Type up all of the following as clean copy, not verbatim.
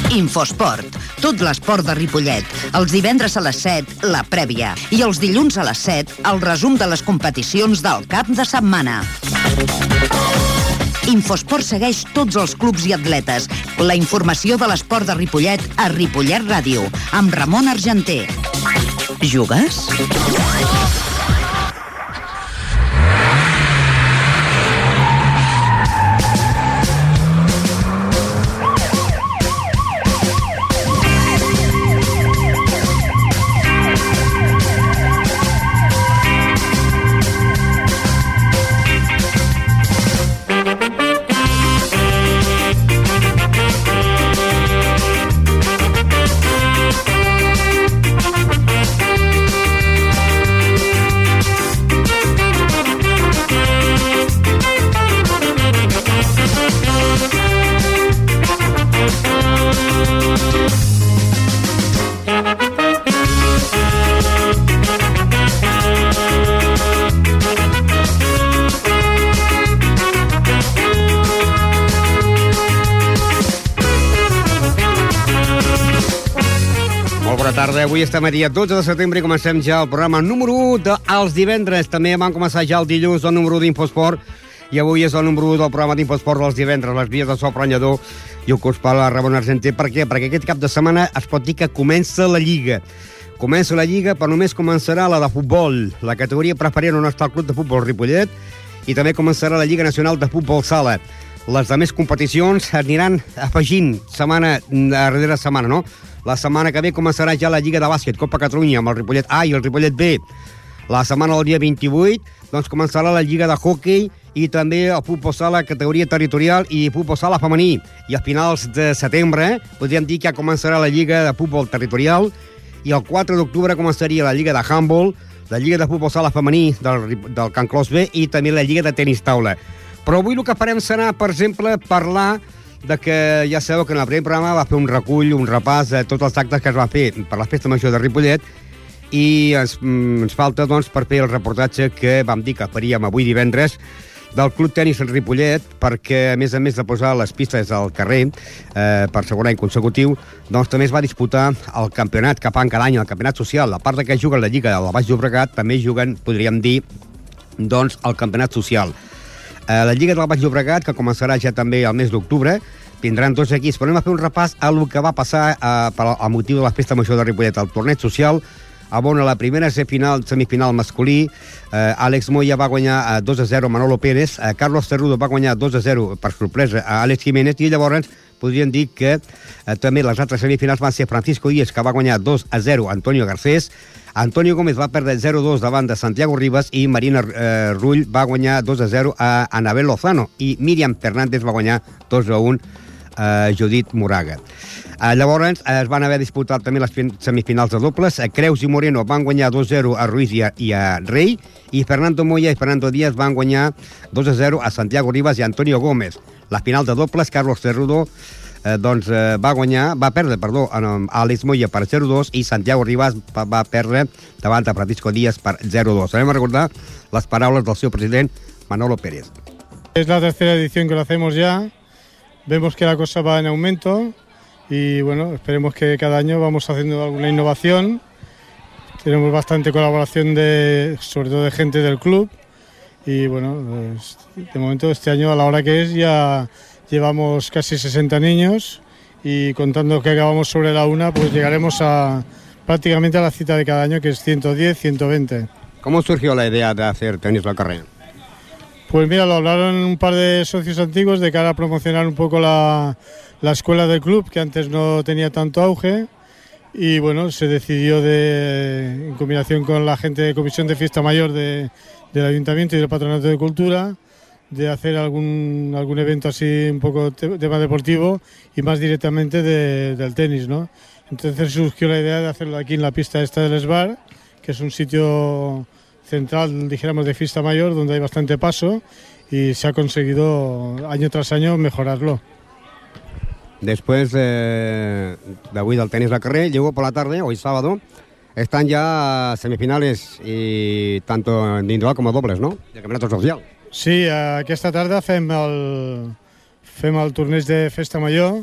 Infosport, tot l'esport de Ripollet. Els divendres a les 7, la prèvia. I els dilluns a les 7, el resum de les competicions del cap de setmana. Infosport segueix tots els clubs i atletes. La informació de l'esport de Ripollet a Ripollet Ràdio, amb Ramon Argenter. Jugues? Avui estem a dia 12 de setembre i comencem ja el programa número 1 dels divendres. També vam començar ja el dilluns el número 1 d'Infosport i avui és el número 1 del programa d'Infosport dels divendres. Les vies de so Pranyador i el curs per la Ramon Argenter. Per què? Perquè aquest cap de setmana es pot dir que comença la Lliga. Comença la Lliga, però només començarà la de futbol. La categoria preferent on està el Club de Futbol Ripollet i també començarà la Lliga Nacional de Futbol Sala. Les altres competicions aniran afegint setmana darrere setmana, no? La setmana que ve començarà ja la Lliga de Bàsquet, Copa Catalunya, amb el Ripollet A i el Ripollet B. La setmana del dia 28, doncs començarà la Lliga de Hockey i també el futbol sala, categoria territorial i futbol sala femení. I a finals de setembre, podríem dir que ja començarà la Lliga de Futbol Territorial i el 4 d'octubre començaria la Lliga de Handball, la Lliga de Futbol Sala femení del Can Clos B i també la Lliga de Tenis Taula. Però avui el que farem serà, per exemple, parlar de que ja sabeu que en el primer programa va fer un recull, un repàs de tots els actes que es va fer per la Festa Major de Ripollet i ens falta, doncs, per fer el reportatge que vam dir que faríem avui divendres del Club Tenis Ripollet, perquè, a més de posar les pistes al carrer per segon any consecutiu, doncs també es va disputar el campionat que fan cada any, el campionat social. A part de que juguen la Lliga del Baix Llobregat, també juguen, podríem dir, doncs, el campionat social. La Lliga del Baix Llobregat, que començarà ja també el mes d'octubre, tindran dos equips. Però anem a fer un repàs a el que va passar a motiu de la Festa Major de Ripollet, el torneig social, on a la primera semifinal masculí, Àlex Moya va guanyar 2-0 a Manolo Pérez, Carlos Cerrudo va guanyar 2-0 per sorpresa a Àlex Jiménez, i llavors podríem dir que també les altres semifinals van ser Francisco Díez, que va guanyar 2-0 a Antonio Garcés, Antonio Gómez va perdre 0-2 davant de Santiago Rivas i Marina Rull va guanyar 2-0 a Anabel Lozano i Míriam Fernández va guanyar 2-1 a Judit Moraga. Llavors es van haver disputat també les semifinals de dobles. Creus i Moreno van guanyar 2-0 a Ruiz i a Rey i Fernando Moya i Fernando Díaz van guanyar 2-0 a Santiago Rivas i Antonio Gómez. La final de dobles, Carlos Cerrudo va perdre a Àlex Moya per 0-2 i Santiago Rivas va perdre davant de Francisco Díaz per 0-2. Anem a recordar les paraules del seu president Manolo Pérez. Es la tercera edición que lo hacemos ya. Vemos que la cosa va en aumento y bueno, esperemos que cada año vamos haciendo alguna innovación. Tenemos bastante colaboración sobre todo de gente del club y bueno, de momento este año a la hora que es ya llevamos casi 60 niños y contando que acabamos sobre la 1, pues llegaremos prácticamente a la cita de cada año, que es 110, 120. ¿Cómo surgió la idea de hacer tenis la carrera? Pues mira, lo hablaron un par de socios antiguos de cara a promocionar un poco la escuela del club, que antes no tenía tanto auge, y bueno, se decidió en combinación con la gente de Comisión de Fiesta Mayor del Ayuntamiento y del Patronato de Cultura, de hacer algún evento así un poco tema deportivo y más directamente del tenis, ¿no? Entonces surgió la idea de hacerlo aquí en la pista esta del Esbar, que es un sitio central, dijéramos, de Fiesta Mayor, donde hay bastante paso y se ha conseguido año tras año mejorarlo. Después de hoy del tenis la carrera, llegó por la tarde, hoy sábado, están ya semifinales y tanto individual como dobles, ¿no? De campeonato social. Sí, aquesta tarda fem el torneig de Festa Major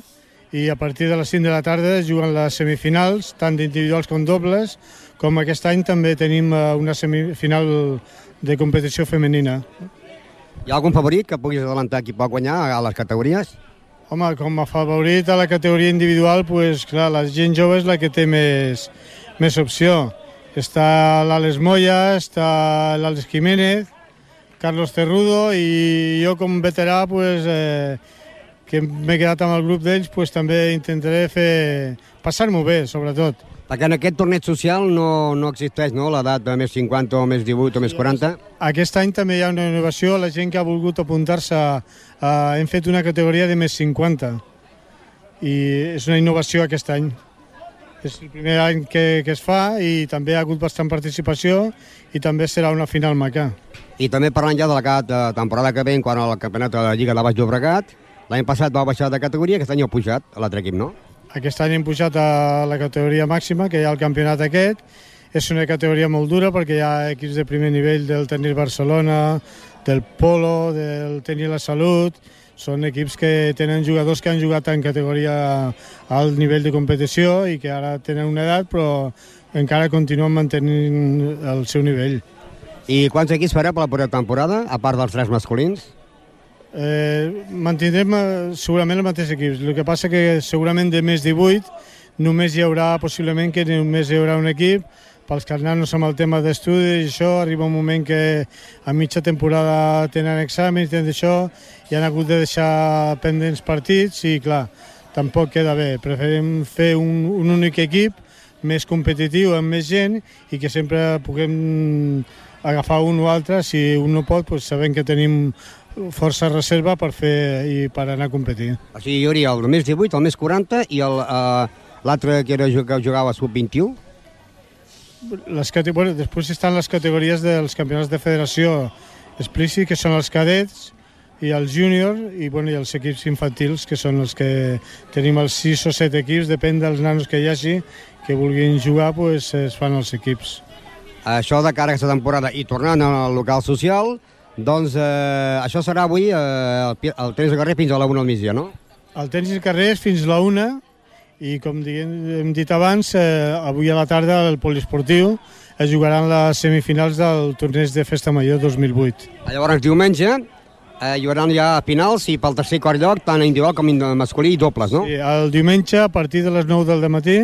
i a partir de les 5 de la tarda es juguen les semifinals, tant d'individuals com dobles, com aquest any també tenim una semifinal de competició femenina. Hi ha algun favorit que puguis adelantar qui pot guanyar a les categories? Home, com a favorit a la categoria individual, pues, clar, la gent jove és la que té més opció. Està l'Àlex Moya, està l'Àlex Jiménez, Carlos Cerrudo, i jo com veterà, pues, que m'he quedat amb el grup d'ells, pues, també intentaré passar-m'ho bé, sobretot. Perquè en aquest torneig social no existeix, no?, l'edat de més 50 o més 18 o més 40. Aquest any també hi ha una innovació. La gent que ha volgut apuntar-se, hem fet una categoria de més 50. I és una innovació aquest any. És el primer any que es fa i també ha hagut bastant participació i també serà una final maca. I també parlant ja de la temporada que ve, quan al campionat de la Lliga de Baix Llobregat, l'any passat va baixar de categoria, aquest any ha pujat a l'altre equip, no? Aquest any hem pujat a la categoria màxima, que hi ha el campionat aquest. És una categoria molt dura perquè hi ha equips de primer nivell del Tenis Barcelona, del Polo, del Tenis La Salut. Són equips que tenen jugadors que han jugat en categoria a alt nivell de competició i que ara tenen una edat però encara continuen mantenint el seu nivell. I quants equips farà per la propera temporada, a part dels 3 masculins? Mantindrem segurament els mateixos equips. El que passa que segurament de més 18 només hi haurà, possiblement que només hi haurà un equip. Pels que nanos amb el tema d'estudis i això, arriba un moment que a mitja temporada tenen exàmens, tenen això, i han hagut de deixar pendents partits i clar, tampoc queda bé. Preferim fer un únic equip més competitiu, amb més gent, i que sempre puguem agafar un o altre. Si un no pot, doncs sabem que tenim força reserva per fer i per anar a competir. O sigui, hi hauria el més 18, el més 40 i l'altre que jugava sub-21? Bueno, després estan les categories dels campionats de federació explícit, que són els cadets i els júniors, i els equips infantils, que són els que tenim els 6 o 7 equips, depèn dels nanos que hi hagi, que vulguin jugar, doncs es fan els equips. Això de cara a aquesta temporada, i tornant al local social, doncs això serà avui el tenis de carrer fins a la 1 al migdia, no? El tenis de carrer és fins a la 1, i com hem dit abans, avui a la tarda al poliesportiu es jugaran les semifinals del torneig de Festa Major 2008. Llavors diumenge hi haurà ja finals i pel tercer i quart lloc, tant individual com masculí i dobles, no? Sí, el diumenge a partir de les 9 del matí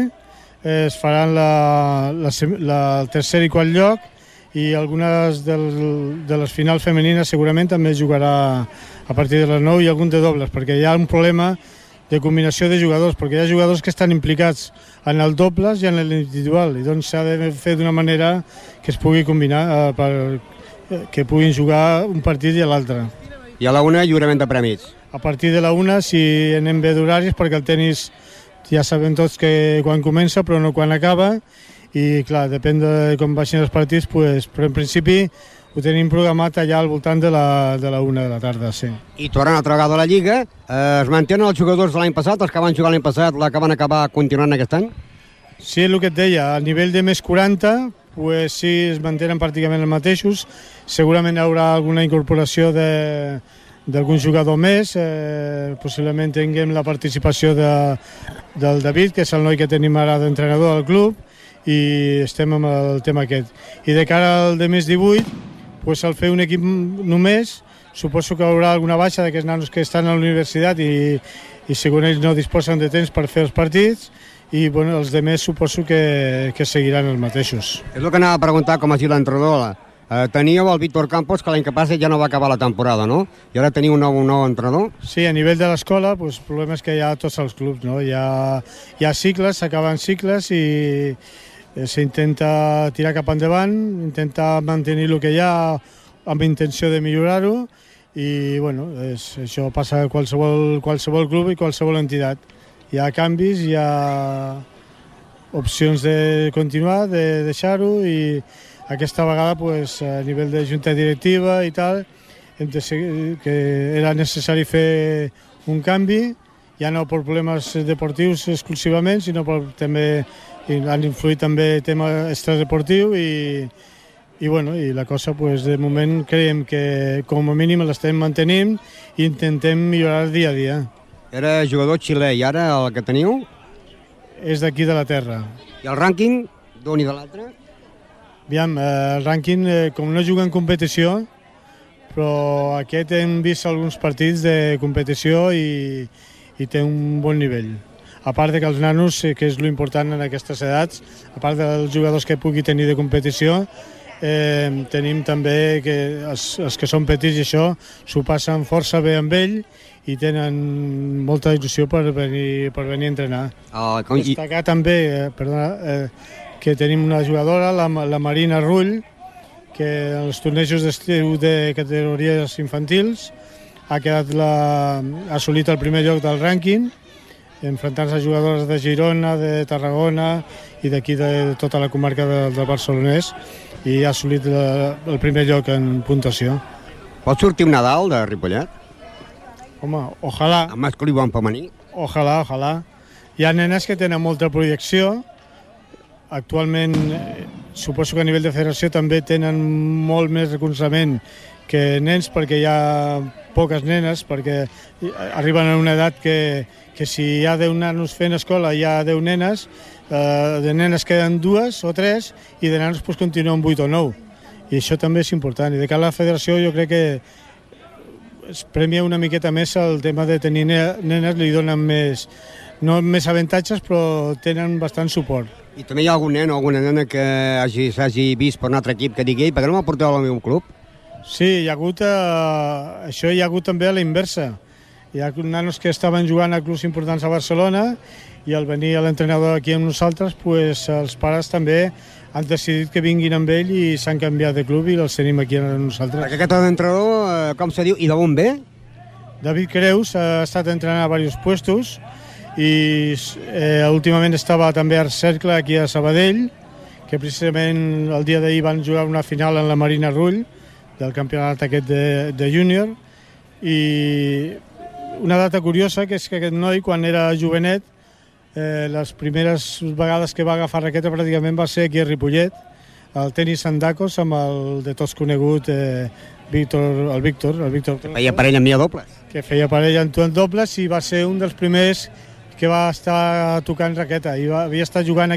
es faran el tercer i quart lloc, i algunes de les finals femenines segurament també es jugarà a partir de les 9, i algun de dobles, perquè hi ha un problema de combinació de jugadors, perquè hi ha jugadors que estan implicats en el dobles i en l'individual, i doncs s'ha de fer d'una manera que es pugui combinar, que puguin jugar un partit i l'altre. I a la 1 lliurament de premis. A partir de la 1, si anem bé d'horaris, perquè el tenis ja sabem tots que quan comença però no quan acaba, i clar, depèn de com baixin els partits, però en principi ho tenim programat allà al voltant de la 1 de la tarda, sí. I tornant altra vegada a la Lliga, es mantenen els jugadors de l'any passat, els que van jugar l'any passat, la que van acabar continuant aquest any? Sí, el que et deia, a nivell de més 40, pues sí, es mantenen pràcticament els mateixos. Segurament hi haurà alguna incorporació d'algun jugador més, possiblement tinguem la participació del David, que és el noi que tenim ara d'entrenador al club, i estem amb el tema aquest. I de cara al de més 18, pues, al fer un equip només, suposo que hi haurà alguna baixa d'aquests nanos que estan a la universitat i segons ells no disposen de temps per fer els partits, i els demés suposo que seguiran els mateixos. És el que anava a preguntar com ha sigut l'entrenador. Teníeu el Víctor Campos, que l'any que passa ja no va acabar la temporada, no? I ara teniu un nou entrenador? Sí, a nivell de l'escola, el problema és que hi ha tots els clubs, no? Hi ha cicles, s'acaben cicles i s'intenta tirar cap endavant, intentar mantenir el que hi ha amb intenció de millorar-ho, i això passa a qualsevol club i qualsevol entitat. Hi ha canvis, hi ha opcions de continuar, de deixar-ho, i aquesta vegada a nivell de junta directiva i tal, que era necessari fer un canvi, ja no per problemes deportius exclusivament, sinó també han influït també el tema extradeportiu, i la cosa de moment creiem que com a mínim l'estem mantenint i intentem millorar dia a dia. Era jugador xilè, i ara el que teniu? És d'aquí de la terra. I el rànquing d'un i de l'altre? Aviam, el rànquing, com no juga en competició, però aquest hem vist alguns partits de competició i té un bon nivell. A part de que els nanos, que és l'important en aquestes edats, a part dels jugadors que pugui tenir de competició, tenim també que els que són petits i això s'ho passen força bé amb ell i tenen molta il·lusió per venir a entrenar. Destacar també, que tenim una jugadora, la Marina Rull, que als tornejos d'estiu de categories infantils ha assolit el primer lloc del rànquing, enfrontant-se a jugadores de Girona, de Tarragona i d'aquí de tota la comarca del Barcelonès, i ha assolit el primer lloc en puntuació. Pot sortir un Nadal de Ripollet? Home, ojalà. En masculí o en femení? Ojalà. Hi ha nenes que tenen molta projecció. Actualment, suposo que a nivell de federació també tenen molt més recolzament que nens, perquè hi ha poques nenes, perquè arriben a una edat que si hi ha 10 nanos fent escola, hi ha 10 nenes, de nenes queden 2 o 3 i de nanos pues, continuen 8 o 9. I això també és important. I de cara a la federació jo crec que es premia una miqueta més el tema de tenir nenes, li donen més, no més avantatges, però tenen bastant suport. I també hi ha algun nen o alguna nena que s'hagi vist per un altre equip que digui per què no m'aporteu al meu club? Sí, hi ha hagut també a la inversa. Hi ha nanos que estaven jugant a clubs importants a Barcelona i al venir l'entrenador aquí amb nosaltres, pues, els pares també han decidit que vinguin amb ell i s'han canviat de club i els tenim aquí amb nosaltres. Perquè aquest entrenador, com se diu, i d'on ve? David Creus ha estat entrenant a diversos puestos i últimament estava també a Cercle aquí a Sabadell, que precisament el dia d'ahir van jugar una final en la Marina Rull del campionat aquest de júnior, i una data curiosa que és que aquest noi, quan era jovenet, les primeres vegades que va agafar raqueta pràcticament va ser aquí a Ripollet, al tenis Sandacos, amb el de tots conegut Víctor. Que feia parella amb mi a dobles. Que feia parella amb tu en dobles i va ser un dels primers que va estar tocant raqueta i havia estat jugant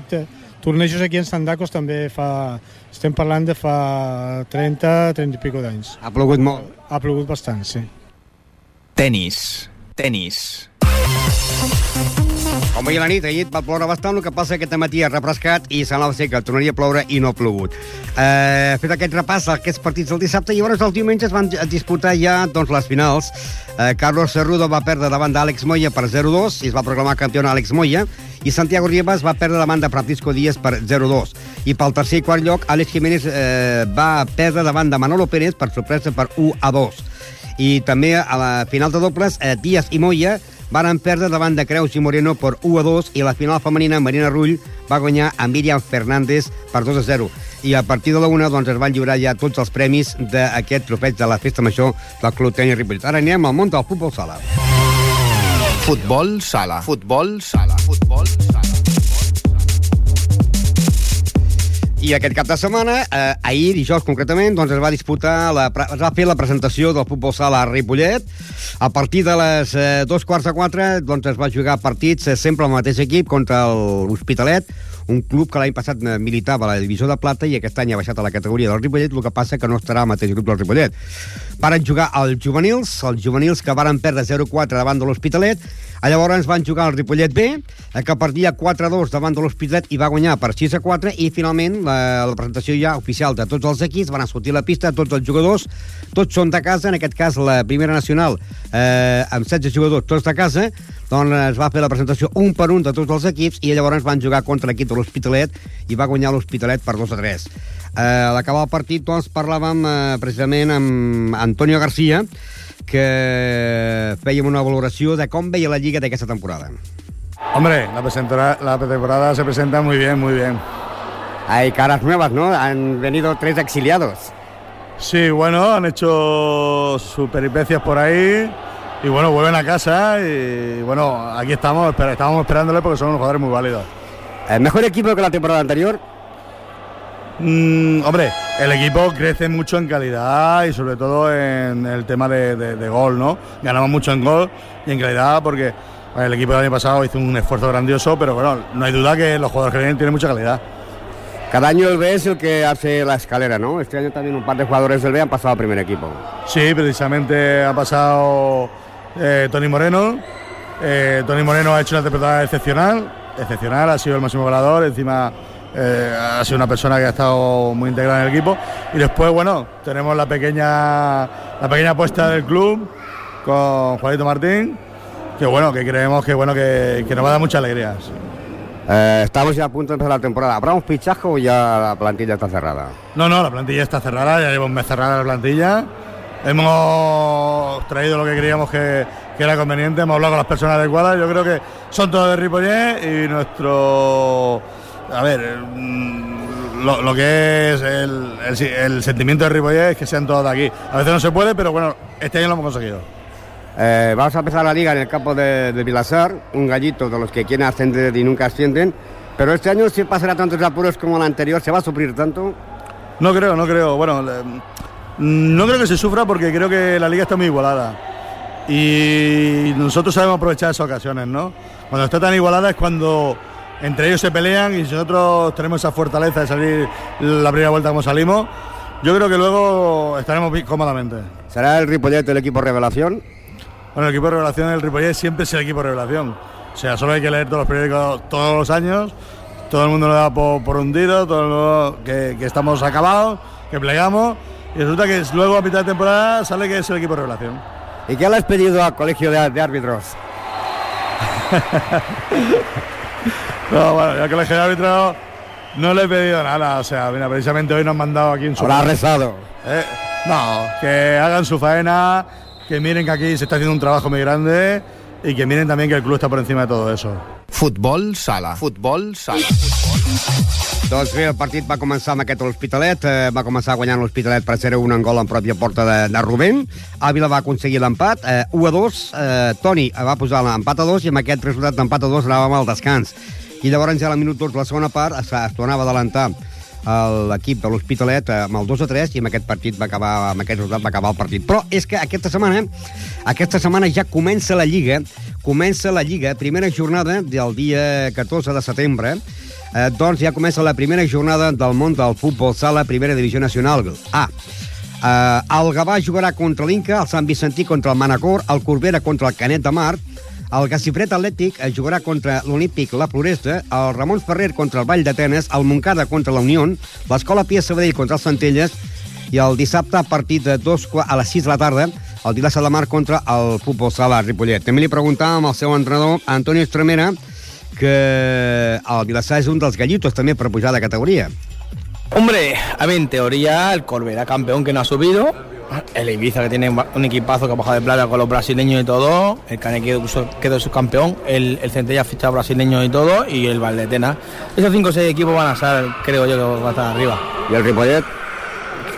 tornejos aquí en Sandacos també estem parlant de fa 30 i pico d'anys. Ha plogut molt? Ha plogut bastant, sí. Tenis. Com ahir a la nit, ahir va ploure bastant, el que passa que aquest matí ha refrescat i semblava ser que tornaria a ploure i no ha plogut. Fet aquest repàs a aquests partits del dissabte, i llavors el diumenge es van disputar ja les finals. Carlos Cerrudo va perdre davant d'Àlex Moya per 0-2 i es va proclamar campió Àlex Moya, i Santiago Rivas va perdre davant de Francisco Díaz per 0-2. I pel tercer i quart lloc, Àlex Jiménez va perdre davant de Manolo Pérez per sorpresa per 1-2. I també a la final de dobles, Díaz i Moya van perdre davant de Creus i Moreno per 1-2, i a la final femenina Marina Rull va guanyar a Míriam Fernández per 2-0. I a partir de la 1 es van lliurar ja tots els premis d'aquest trofeig de la festa major del Club Tenis Ripollet. Ara anem al món del futbol sala. Futbol sala. I aquest cap de setmana, ahir, dijous concretament, es va disputar, es va fer la presentació del futbol sala a Ripollet. A partir de les 3:45, es va jugar partits sempre amb el mateix equip contra l'Hospitalet, un club que l'any passat militava a la divisió de plata i aquest any ha baixat a la categoria del Ripollet, el que passa que no estarà al mateix grup del Ripollet. Varen jugar els juvenils que varen perdre 0-4 davant de l'Hospitalet. Llavors van jugar el Ripollet B, que perdia 4-2 davant de l'Hospitalet i va guanyar per 6-4, i finalment la presentació ja oficial de tots els equips, van sortir a la pista tots els jugadors, tots són de casa, en aquest cas la primera nacional amb 16 jugadors, tots de casa, es va fer la presentació un per un de tots els equips, i llavors van jugar contra l'equip de l'Hospitalet i va guanyar l'Hospitalet per 2-3. A l'acabar el partit parlàvem precisament amb Antonio García, que fèiem una valoració de com veia la Lliga d'aquesta temporada. Hombre, la temporada se presenta muy bien, muy bien. Hay caras nuevas, ¿no? Han venido 3 exiliados. Sí, bueno, han hecho sus peripecias por ahí y bueno, vuelven a casa y bueno, aquí estamos esperándole porque son unos jugadores muy válidos. ¿Mejor equipo que la temporada anterior? Hombre, el equipo crece mucho en calidad y sobre todo en el tema de gol, ¿no? Ganamos mucho en gol y en calidad porque el equipo del año pasado hizo un esfuerzo grandioso, pero bueno, no hay duda que los jugadores que vienen tienen mucha calidad. Cada año el B es el que hace la escalera, ¿no? Este año también un par de jugadores del B han pasado al primer equipo. Sí, precisamente ha pasado Tony Moreno. Tony Moreno ha hecho una temporada excepcional, ha sido el máximo goleador, encima ha sido una persona que ha estado muy integrada en el equipo. Y después, bueno, tenemos la pequeña apuesta del club con Juanito Martín, que bueno, que creemos que nos va a dar muchas alegrías. Estamos ya a punto de empezar la temporada. ¿Habrá un fichaje o ya la plantilla está cerrada? No, la plantilla está cerrada, ya lleva un mes cerrada la plantilla. Hemos traído lo que creíamos que era conveniente, hemos hablado con las personas adecuadas. Yo creo que son todos de Ripollet y nuestro... A ver, lo que es el sentimiento de Ripollet es que sean todos de aquí. A veces no se puede, pero bueno, este año lo hemos conseguido. Vamos a empezar la liga en el campo de Vilassar, un gallito de los que quieren ascender y nunca ascienden, pero este año sí pasará tantos apuros como el anterior. ¿Se va a sufrir tanto? No creo. Bueno, no creo que se sufra porque creo que la liga está muy igualada y nosotros sabemos aprovechar esas ocasiones, ¿no? Cuando está tan igualada es cuando entre ellos se pelean y nosotros tenemos esa fortaleza de salir la primera vuelta como salimos. Yo creo que luego estaremos bien cómodamente. ¿Será el Ripollet el equipo revelación? Bueno, el equipo de revelación del Ripollet siempre es el equipo de revelación. O sea, solo hay que leer todos los periódicos todos los años. Todo el mundo lo da por hundido, todo el mundo que estamos acabados, que plegamos. Y resulta que luego a mitad de temporada sale que es el equipo de revelación. ¿Y qué le has pedido al colegio de árbitros? No, bueno, al colegio de árbitros no le he pedido nada. O sea, mira, precisamente hoy nos han mandado aquí en su... ¿Habrá rezado? No, que hagan su faena, que miren que aquí se está haciendo un trabajo muy grande y que miren también que el club está por encima de todo eso. Futbol sala. Doncs bé, el partit va començar amb aquest L'Hospitalet, va començar guanyant l'Hospitalet per 0-1 en gol en pròpia porta de Rubén. Àvila va aconseguir l'empat, 1-2, Toni va posar l'empat a 2 i amb aquest resultat d'empat a 2 anàvem al descans. I llavors ja a la minut 2 de la segona part es tornava a adelantar l'equip de l'Hospitalet amb el 2-3 i amb aquest partit va acabar, amb aquest resultat va acabar el partit. Però és que aquesta setmana ja comença la Lliga, primera jornada del dia 14 de setembre, doncs ja comença la primera jornada del món del futbol sala, primera divisió nacional A. El Gavà jugarà contra l'Inca, el Sant Vicentí contra el Manacor, el Corbera contra el Canet de Mar, el Gacifret Atlètic jugarà contra l'Olímpic La Floresta, el Ramon Ferrer contra el Vall d'Atenes, el Montcada contra la Unió, l'Escola Pia Sabadell contra el Centelles i el dissabte a partir de a les 6 de la tarda el Vilassar de Mar contra el futbol sala Ripollet. També li preguntàvem al seu entrenador, Antonio Estremera, que el Vilassar es un dels gallitos también para pujar de categoría. Hombre, a ver, en teoría el Corbera campeón que no ha subido, el Ibiza que tiene un equipazo que ha bajado de plata con los brasileños y todo, el Canet quedó subcampeón, el Centella ha fichado brasileños y todo, y el Valdetena. Esos 5 o 6 equipos van a estar, creo yo, que va a estar arriba. ¿Y el Ripollet?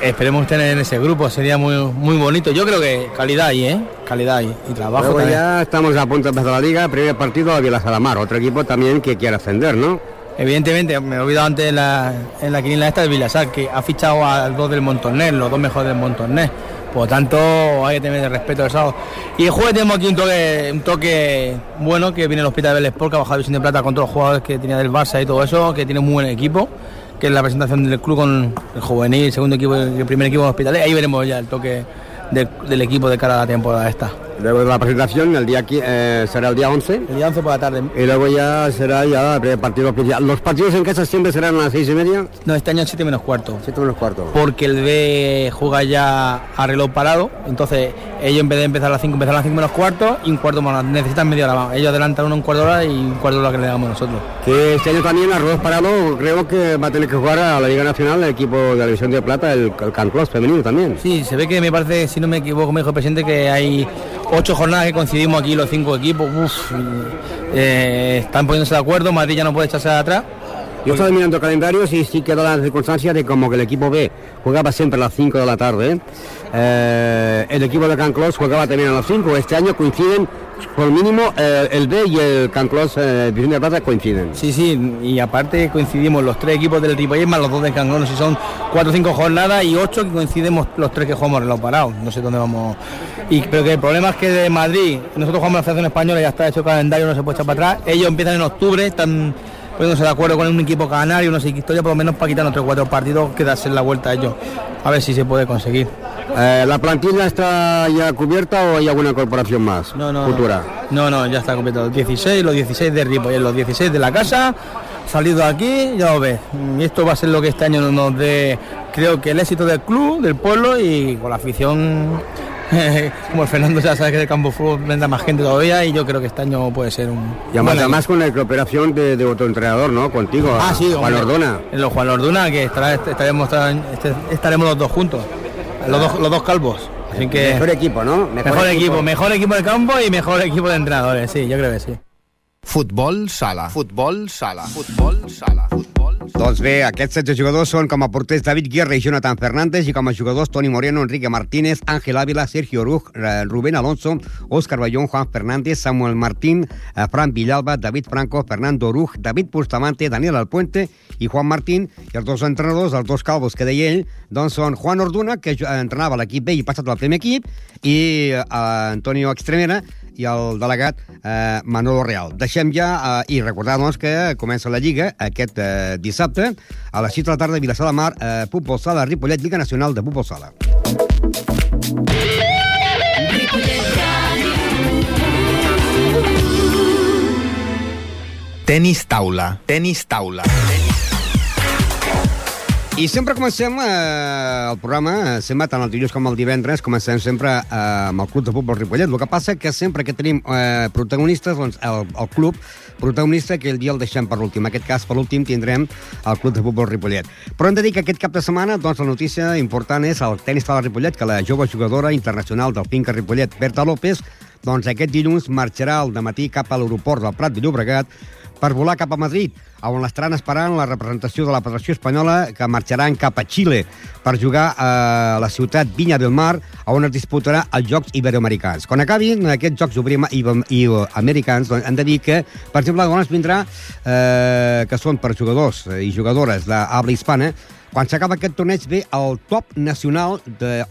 Esperemos tener en ese grupo, sería muy bonito. Yo creo que calidad ahí, calidad ahí y trabajo. Luego también. Ya estamos a punto de empezar la liga, primer partido de Vilassar de Mar, otro equipo también que quiere ascender, ¿no? Evidentemente, me he olvidado antes en la quiniela esta del Vilassar, que ha fichado a 2 del Montornès, los 2 mejores del Montornès. Por lo tanto, hay que tener el respeto de eso. Y el jueves tenemos aquí un toque bueno, que viene el Hospital de Bellesport, que ha bajado Vicente de Plata con todos los jugadores que tenía del Barça y todo eso, que tiene un muy buen equipo, que es la presentación del club con el juvenil, el segundo equipo, el primer equipo del Hospital. Ahí veremos ya el toque del equipo de cara a la temporada esta. Luego de la presentación, será el día 11. El día 11 por la tarde. Y luego ya será el primer partido oficial. ¿Los partidos en casa siempre serán a las 6:30? No, este año 7 menos cuarto. 7 menos cuarto. Porque el B juega ya a reloj parado, entonces ellos en vez de empezar a las 5, empezaron a las 5 menos cuarto y un cuarto más. Necesitan media hora más. Ellos adelantan un cuarto de hora y un cuarto de hora que le damos nosotros. Que este año también a reloj parado creo que va a tener que jugar a la Liga Nacional el equipo de la División de Plata, el Can Clos femenino también. Sí, se ve que me parece, si no me equivoco, me dijo el presidente que hay 8 jornadas que coincidimos aquí los 5 equipos. Están poniéndose de acuerdo, Madrid ya no puede echarse de atrás. Yo estaba mirando calendarios y sí quedó la circunstancia de como que el equipo B jugaba siempre a las 5 de la tarde. El equipo de Can Clos jugaba también a las 5. Este año coinciden por mínimo el B y el Can Clos Vicente de Plata coinciden. Sí, y aparte coincidimos los 3 equipos del Ripollet más los 2 del Can Clos, si son 4 o 5 jornadas y 8 que coincidimos los 3 que jugamos en los parados, no sé dónde vamos. Pero que el problema es que de Madrid, nosotros jugamos en la Federación Española, ya está hecho el calendario, no se puede echar para atrás, ellos empiezan en octubre, están poniéndose de acuerdo con un equipo canario, no sé qué historia, por lo menos para quitarnos 3 o 4 partidos, que darse la vuelta a ellos, a ver si se puede conseguir. ¿La plantilla está ya cubierta o hay alguna incorporación más futura? No, ya está cubierta. Los 16 de Ripollet, los 16 de la casa, salido aquí, ya lo ves. Y esto va a ser lo que este año nos dé, creo que el éxito del club, del pueblo y con la afición. Como el Fernando ya sabe que del campo de fútbol vendrá más gente todavía y yo creo que este año puede ser un... Y además con la cooperación de otro entrenador, ¿no? Contigo, sí, Juan Orduna. Juan Orduna, que estaremos los 2 juntos, los dos calvos. Así que mejor equipo, ¿no? Mejor equipo de campo y mejor equipo de entrenadores, sí, yo creo que sí. Futbol sala. Futbol sala. Futbol sala. Futbol sala. Doncs bé, aquests 16 jugadors són com a porters David Guerra i Jonathan Fernández i com a jugadors Toni Moreno, Enrique Martínez, Ángel Ávila, Sergio Oruj, Rubén Alonso, Óscar Bayón, Juan Fernández, Samuel Martín, Fran Villalba, David Franco, Fernando Oruj, David Bustamante, Daniel Alpuente i Juan Martín. I els 2 entrenadors, els 2 calvos que deia ell, doncs són Juan Orduna, que entrenava l'equip B i passat al primer equip, i Antonio Extremera, i el delegat Manolo Real. Deixem ja i recordar doncs, que comença la Lliga aquest dissabte a les 6 de la tarda a Vilassar de Mar, Futbol Sala Ripollet, Lliga Nacional de Futbol Sala. Tenis taula. Tenis taula. I sempre comencem el programa, sempre tant el dilluns com el divendres, comencem sempre amb el Club de Futbol Ripollet. El que passa que sempre que tenim protagonistes, doncs el club protagonista, que el dia el deixem per l'últim. En aquest cas, per l'últim, tindrem el Club de Futbol Ripollet. Però hem de dir que aquest cap de setmana, doncs, la notícia important és el tenis sala Ripollet, que la jove jugadora internacional del Finca Ripollet, Berta López, doncs aquest dilluns marxarà al dematí cap a l'aeroport del Prat de Llobregat per volar cap a Madrid, on l'estaran esperant la representació de la Federació Espanyola, que marxaran cap a Xile per jugar a la ciutat Viña del Mar, on es disputarà els Jocs Iberoamericans. Quan acabin aquests Jocs Iberoamericans, doncs, hem de dir que, per exemple, doncs vindrà, que són per jugadors i jugadores d'habla hispana, quan s'acaba aquest torneig ve el top nacional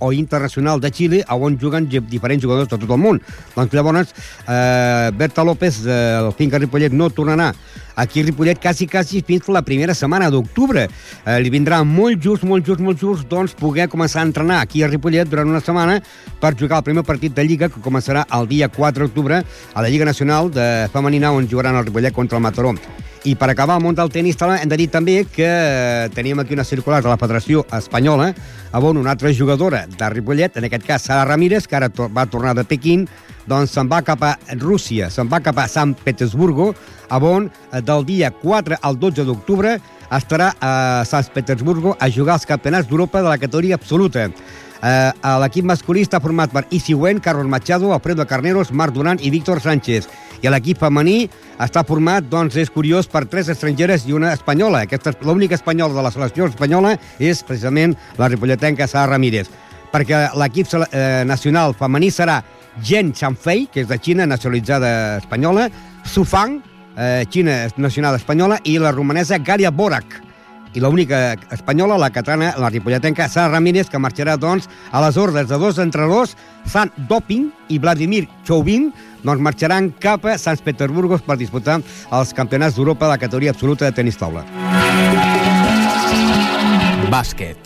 o internacional de Xile, on juguen diferents jugadors de tot el món. Doncs llavors, Berta López, el Finca Ripollet, no tornarà aquí a Ripollet quasi fins la primera setmana d'octubre. Li vindrà molt just, doncs, poder començar a entrenar aquí a Ripollet durant una setmana per jugar el primer partit de Lliga, que començarà el dia 4 d'octubre a la Lliga Nacional de Femenina, on jugaran el Ripollet contra el Mataró. I per acabar el món del tenis, hem de dir també que teníem aquí una circular de la Federació Espanyola, on una altra jugadora de Ripollet, en aquest cas Sara Ramírez, que ara va tornar de Pequín, doncs se'n va cap a Rússia, se'n va cap a Sant Petersburgo, on del dia 4 al 12 d'octubre estarà a Sant Petersburgo a jugar als campionats d'Europa de la categoria absoluta. L'equip masculí està format per Isigüen, Carlos Machado, Alfredo Carneros, Marc Duran i Víctor Sánchez. I l'equip femení està format, doncs, és curiós, per 3 estrangeres i una espanyola. L'única espanyola de la selecció espanyola és precisament la ripolletenca Sara Ramírez, perquè l'equip nacional femení serà Zhen Chanfei, que és de Xina, nacionalitzada espanyola, Su Fang, Xina nacional espanyola, i la romanesa Galia Borac. I l'única espanyola, la catalana, la ripolletenca Sara Ramírez, que marxarà, doncs, a les ordres de 2 entrenadors, San Doping i Vladimir Chouvin, doncs marxaran cap a Sant Petersburgo per disputar els campionats d'Europa de la categoria absoluta de tenis taula. Bàsquet.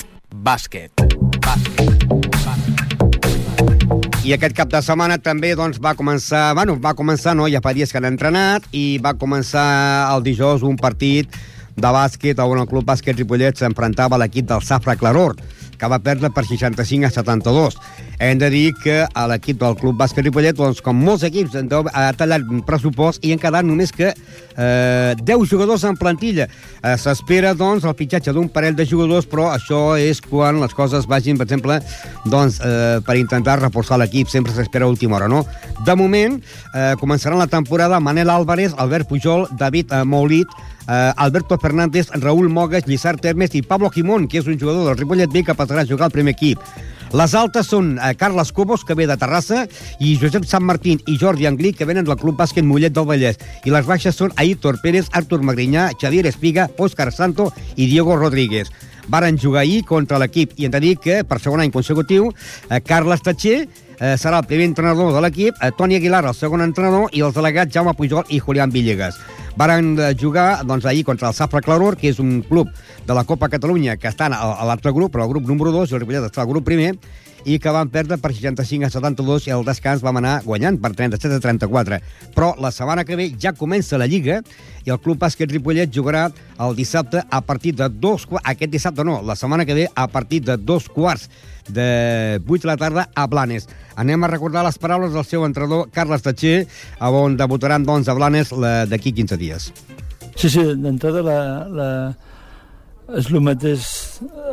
I aquest cap de setmana també doncs, va començar, ja fa dies que han entrenat, i va començar el dijous un partit de bàsquet on el Club Bàsquet Ripollet s'enfrontava a l'equip del Safra Claror, que va perdre per 65-72. Hem de dir que l'equip del Club Bàsquet Ripollet, doncs, com molts equips, ha tallat pressupost i han quedat només que 10 jugadors en plantilla. S'espera, doncs, el fitxatge d'un parell de jugadors, però això és quan les coses vagin, per exemple, doncs, per intentar reforçar l'equip. Sempre s'espera a última hora, no? De moment, començaran la temporada Manel Álvarez, Albert Pujol, David Moulit, Alberto Fernández, Raúl Mogues, Lizard Termes i Pablo Gimón, que és un jugador del Ripollet B que passarà a jugar al primer equip. Les altes són Carles Cobos, que ve de Terrassa, i Josep Sant Martín i Jordi Anglí, que venen del Club Bàsquet Mollet del Vallès. I les baixes són Aitor Pérez, Artur Magrinyà, Xavier Espiga, Òscar Santo i Diego Rodríguez. Varen jugar ahir contra l'equip i hem de dir que, per segon any consecutiu, Carles Tatxer serà el primer entrenador de l'equip, Toni Aguilar el segon entrenador i els delegats Jaume Pujol i Julián Villegas. Varen jugar ahir contra el Safra Claror, que és un club de la Copa Catalunya que està a l'altre grup, però el grup número 2, i el Ripollet està al grup primer, i que van perdre per 65-72 i al descans vam anar guanyant per 37-34. Però la setmana que ve ja comença la Lliga i el Club Bàsquet Ripollet jugarà el dissabte a partir de aquest dissabte no, la setmana que ve a partir de 2:15 de 8 de la tarda a Blanes. Anem a recordar les paraules del seu entrenador Carles Tatxer, on debutaran doncs a Blanes d'aquí 15 dies. Sí, d'entrada és el mateix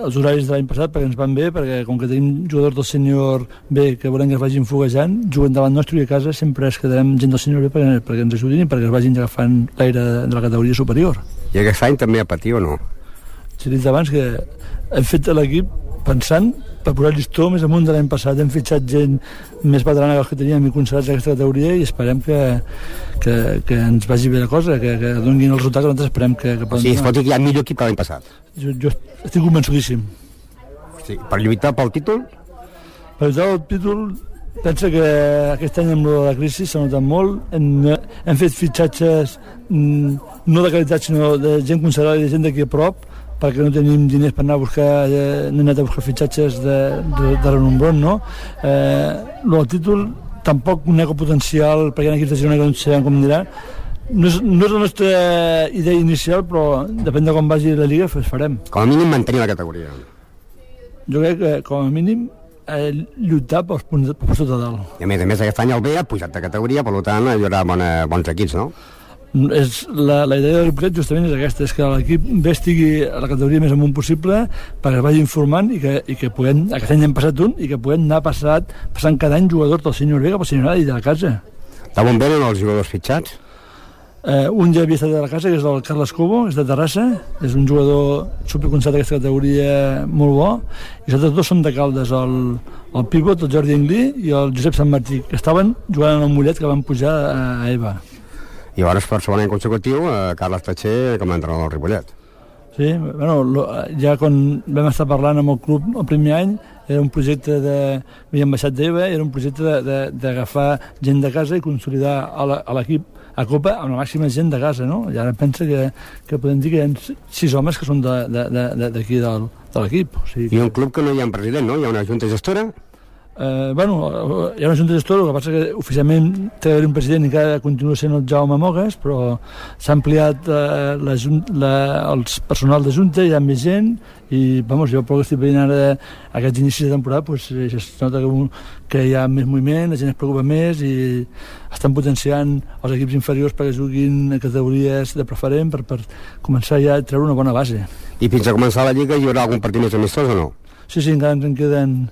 els horaris de l'any passat, perquè ens van bé, perquè com que tenim jugadors del sènior B que volem que es vagin foguejant, juguen davant nostre i a casa sempre es quedarem gent del sènior B perquè ens ajudin i perquè es vagin agafant l'aire de la categoria superior. I aquest any també a patir o no? S'ha dit abans que hem fet l'equip pensant per posar el llistó més amunt de l'any passat. Hem fitxat gent més veterana que els que teníem i considerats aquesta categoria i esperem que ens vagi bé la cosa, que donin els resultats que nosaltres esperem que poden donar. Sí, es pot dir que hi ha millor equip que l'any passat. Jo estic convençudíssim. Sí, per lluitar pel títol? Per lluitar pel títol, pensa que aquest any amb la crisi s'ha notat molt. Hem fet fitxatges no de qualitat, sinó de gent considerada i de gent d'aquí a prop, perquè no tenim diners per anar a buscar, no hem anat a buscar fitxatges de renombron, no? El títol tampoc un potencial, perquè hi ha equips de Girona que no sabem com anirà. No és la nostra idea inicial, però depèn de com vagi la Lliga, farem. Com a mínim mantenir la categoria. Jo crec que com a mínim lluitar pels punts de dalt. I a més aquest any el B ha pujat de categoria, per tant hi haurà bons equips, no? La idea del Ripollet justament és aquesta, és que l'equip B estigui a la categoria més amunt possible perquè es vagi informant i que puguem, aquest any hem passat un, i que puguem anar passant cada any jugadors del sènior B cap al sènior A i de la casa. D'on venen els jugadors fitxats? Un ja havia estat de la casa, que és el Carles Cobo, és de Terrassa, és un jugador superconcertat d'aquesta categoria molt bo, i els altres dos són de Caldes, el pivot, el Jordi Anglí i el Josep Sant Martí, que estaven jugant en el Mollet, que van pujar a EVA. I llavors per segon any consecutiu Carles Tatxer com a entrenador del Ripollet. Sí, ja quan vam estar parlant amb el club el primer any era un projecte havíem baixat d'EVA, era un projecte d'agafar gent de casa i consolidar a l'equip a Copa amb la màxima gent de casa, no? I ara pensa que podem dir que hi ha 6 homes que són d'aquí de l'equip. I un club que no hi ha un president, no? Hi ha una junta gestora? Hi ha una junta gestora, el que passa que oficialment té d'haver un president i encara continua sent el Jaume Mogues, però s'ha ampliat el personal de junta, hi ha més gent i jo pel que estic veient ara aquests inicis de temporada es nota que hi ha més moviment, la gent es preocupa més i estan potenciant els equips inferiors perquè juguin a categories de preferent per començar ja a treure una bona base. I fins a començar la Lliga hi haurà algun partit més amistós o no? Sí, encara ens en queden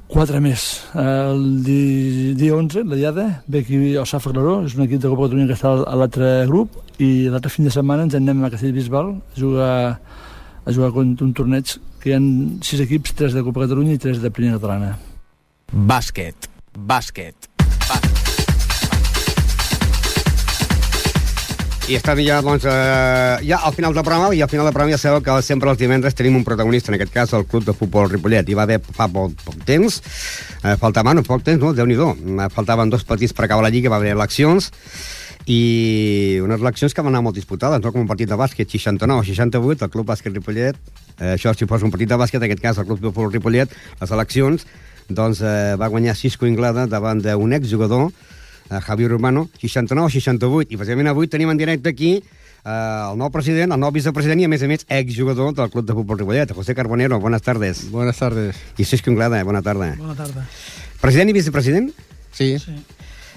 4 més. El dia 11, la Diada, ve aquí al Safra Claró, és un equip de Copa Catalunya que està a l'altre grup, i l'altre fin de setmana ens anem a Castellbisbal a jugar contra un torneig que hi ha 6 equips, 3 de Copa Catalunya i 3 de Primera Catalana. Bàsquet. I estem ja, ja al final del programa, i al final del programa ja sabeu que sempre els divendres tenim un protagonista, en aquest cas el Club de Futbol Ripollet. Hi va haver fa poc temps, poc temps, no? Déu-n'hi-do. Faltaven 2 partits per acabar la Lliga, va haver eleccions, i unes eleccions que van anar molt disputades, no? Com un partit de bàsquet, 69-68, el Club Bàsquet Ripollet, això si fos un partit de bàsquet, en aquest cas el Club de Futbol Ripollet, les eleccions, doncs va guanyar Cisco Inglada davant d'un exjugador, Javier Urbano, 69-68, i precisament avui tenim en directe aquí el nou president, el nou vicepresident i a més exjugador del Club de Futbol Ripollet, José Carbonero. Buenas tardes. Buenas tardes. I Cisco Inglada, bona tarda. Bona tarda. President i vicepresident? Sí.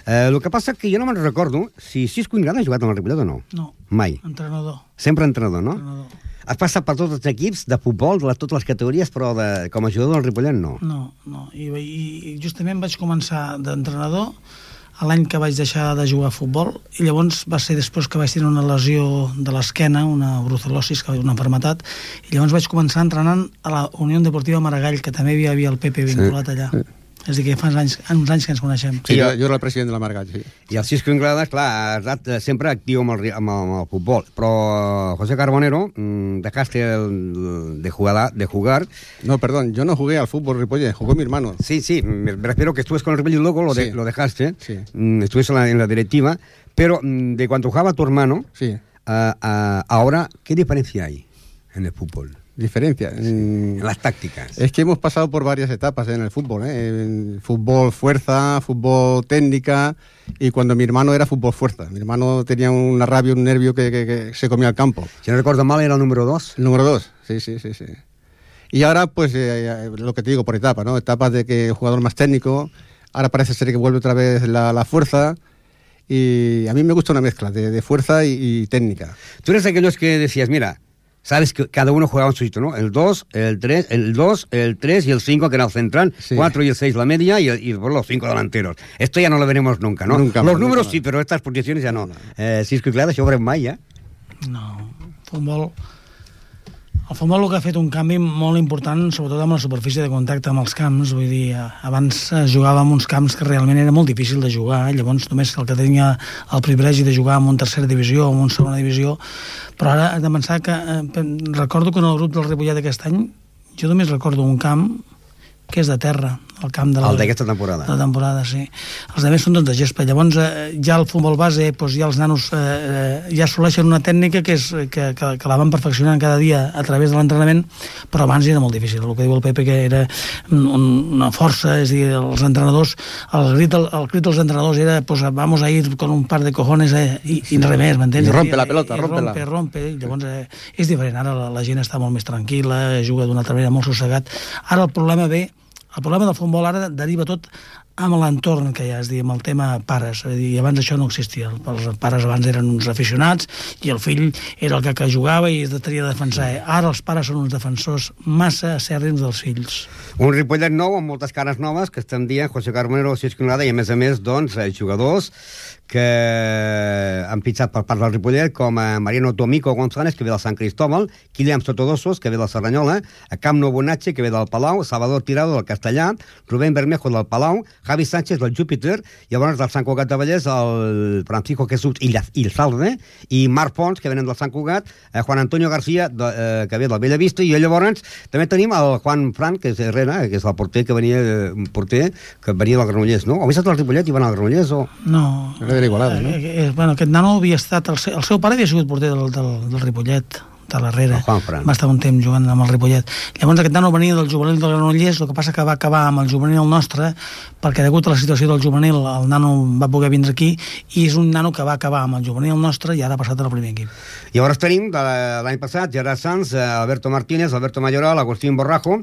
El que passa que jo no me'n recordo si Cisco Inglada ha jugat en el Ripollet o no. No. Mai. Entrenador. Sempre entrenador, no? Entrenador. Has passat per tots els equips de futbol, de totes les categories, però com a jugador del Ripollet no. No. I justament vaig començar d'entrenador l'any que vaig deixar de jugar a futbol, i llavors va ser després que vaig tenir una lesió de l'esquena, una brucelosis, una malaltia, i llavors vaig començar entrenant a la Unió Deportiva Maragall, que també hi havia el Pepe vinculat allà. És a dir, que fa uns anys que ens coneixem. Sí, jo era el president de la Maragall, sí. I el Cisco Inglada, clar, ha estat sempre actiu amb el futbol, però José Carbonero, dejaste de jugar. No, perdón, yo no jugué al fútbol Ripollet, jugó mi hermano. Sí, me refiero que estuviste con el Ripollet y luego lo dejaste, sí. Estuviste en la directiva, pero de cuando jugaba tu hermano, sí. Ahora, ¿qué diferencia hay en el fútbol? Diferencia. En las tácticas. Es que hemos pasado por varias etapas en el fútbol, fútbol fuerza, fútbol técnica, y cuando mi hermano era fútbol fuerza. Mi hermano tenía una rabia, un nervio que se comía al campo. Si no recuerdo mal, era el número 2. El número 2, sí. Y ahora, pues, lo que te digo, por etapas, ¿no? Etapas de que el jugador más técnico, ahora parece ser que vuelve otra vez la fuerza, y a mí me gusta una mezcla de fuerza y técnica. Tú eres de aquellos que decías, mira, sabes que cada uno jugaba en su sitio, ¿no? El 2, el 3, el 3 y el 5, que era el central, 4 y el 6 la media, y los 5 delanteros. Esto ya no lo veremos nunca, ¿no? Nunca los más, números nunca sí, pero estas posiciones ya no. Cisco i Clada, això ho veurem mai, ja? No, el futbol el que ha fet un canvi molt important, sobretot amb la superfície de contacte amb els camps. Vull dir, abans jugava en uns camps que realment era molt difícil de jugar, llavors només el que tenia el privilegi de jugar en una tercera divisió o en una segona divisió, però ara he de pensar que recordo que en el grup del Ripollet d'aquest any jo només recordo un camp que és de terra, el camp de d'aquesta temporada. De la temporada, sí. Els altres són de gespa. Llavors, ja el futbol base, doncs ja els nanos ja assoleixen una tècnica que la van perfeccionant cada dia a través de l'entrenament, però abans era molt difícil. El que diu el Pepe, que era una força, és a dir, els entrenadors, el crit dels entrenadors era, pues vamos a ir con un par de cojones i res més, m'entens? I rompe la pelota, rompe. Llavors, és diferent. Ara la gent està molt més tranquil·la, juga d'una altra manera molt sossegat. Ara el problema del futbol ara deriva tot amb l'entorn que hi ha, és a dir, amb el tema pares. És a dir, abans això no existia. Els pares abans eren uns aficionats i el fill era el que jugava i es tenia de defensar. Ara els pares són uns defensors massa acèrrims dels fills. Un Ripollet nou amb moltes cares noves que estem dient José Carbonero, Cisco Inglada, i a més, doncs, jugadors que han pitjat per part del Ripollet, com Mariano Tomico González, que ve del Sant Cristóbal, Kilian Sotodosos, que ve del Cerdanyola, Camp Nou Bonatge, que ve del Palau, Salvador Tirado, del Castellà, Rubén Bermejo, del Palau, Javi Sánchez, del Júpiter, llavors del Sant Cugat de Vallès, el Francisco Jesús Ilzalde, i Marc Pons, que venen del Sant Cugat, Juan Antonio García, que ve del Bellavista, i llavors també tenim el Juan Fran, que és Herrera, que és el porter que venia del Granollers, no? O havia estat al Ripollet i van al Granollers, o...? No. Era Igualada, no? Bueno, aquest nano havia estat... El seu pare havia sigut porter del Ripollet, de l'Herrera. Va estar un temps jugant amb el Ripollet. Llavors aquest nano venia del juvenil del Granollers, el que passa que va acabar amb el juvenil nostre, perquè degut a la situació del juvenil el nano va poder vindre aquí, i és un nano que va acabar amb el juvenil nostre i ara ha passat al primer equip. Llavors tenim de l'any passat Gerard Sanz, Alberto Martínez, Alberto Mayoral, Agustín Borrajo,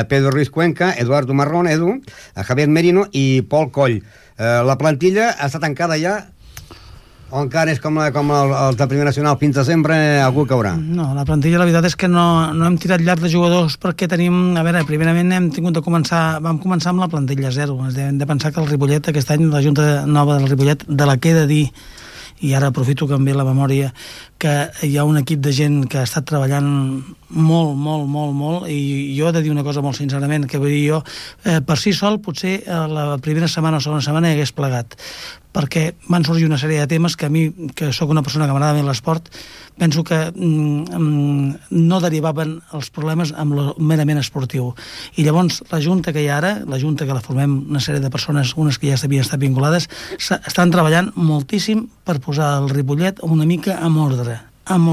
Pedro Ruiz Cuenca, Eduardo Marrón, Javier Merino i Pol Coll. La plantilla està tancada ja, o encara és com el de Primer Nacional, fins a sempre algú caurà? No, la plantilla la veritat és que no hem tirat llarg de jugadors perquè tenim, a veure, primerament vam començar amb la plantilla zero. Hem de pensar que el Ripollet aquest any, la Junta Nova del Ripollet, de la que he de dir, i ara aprofito que em ve la memòria, que hi ha un equip de gent que ha estat treballant molt, i jo he de dir una cosa molt sincerament, que vull dir jo, per si sol, potser la primera setmana o segona setmana hi hagués plegat, perquè van sorgir una sèrie de temes que a mi, que sóc una persona que m'agrada bé l'esport, penso que no derivaven els problemes amb lo merament esportiu. I llavors la junta que hi ha ara, la junta que la formem una sèrie de persones, unes que ja havien estat vinculades, estan treballant moltíssim per posar el Ripollet una mica amb ordre, amb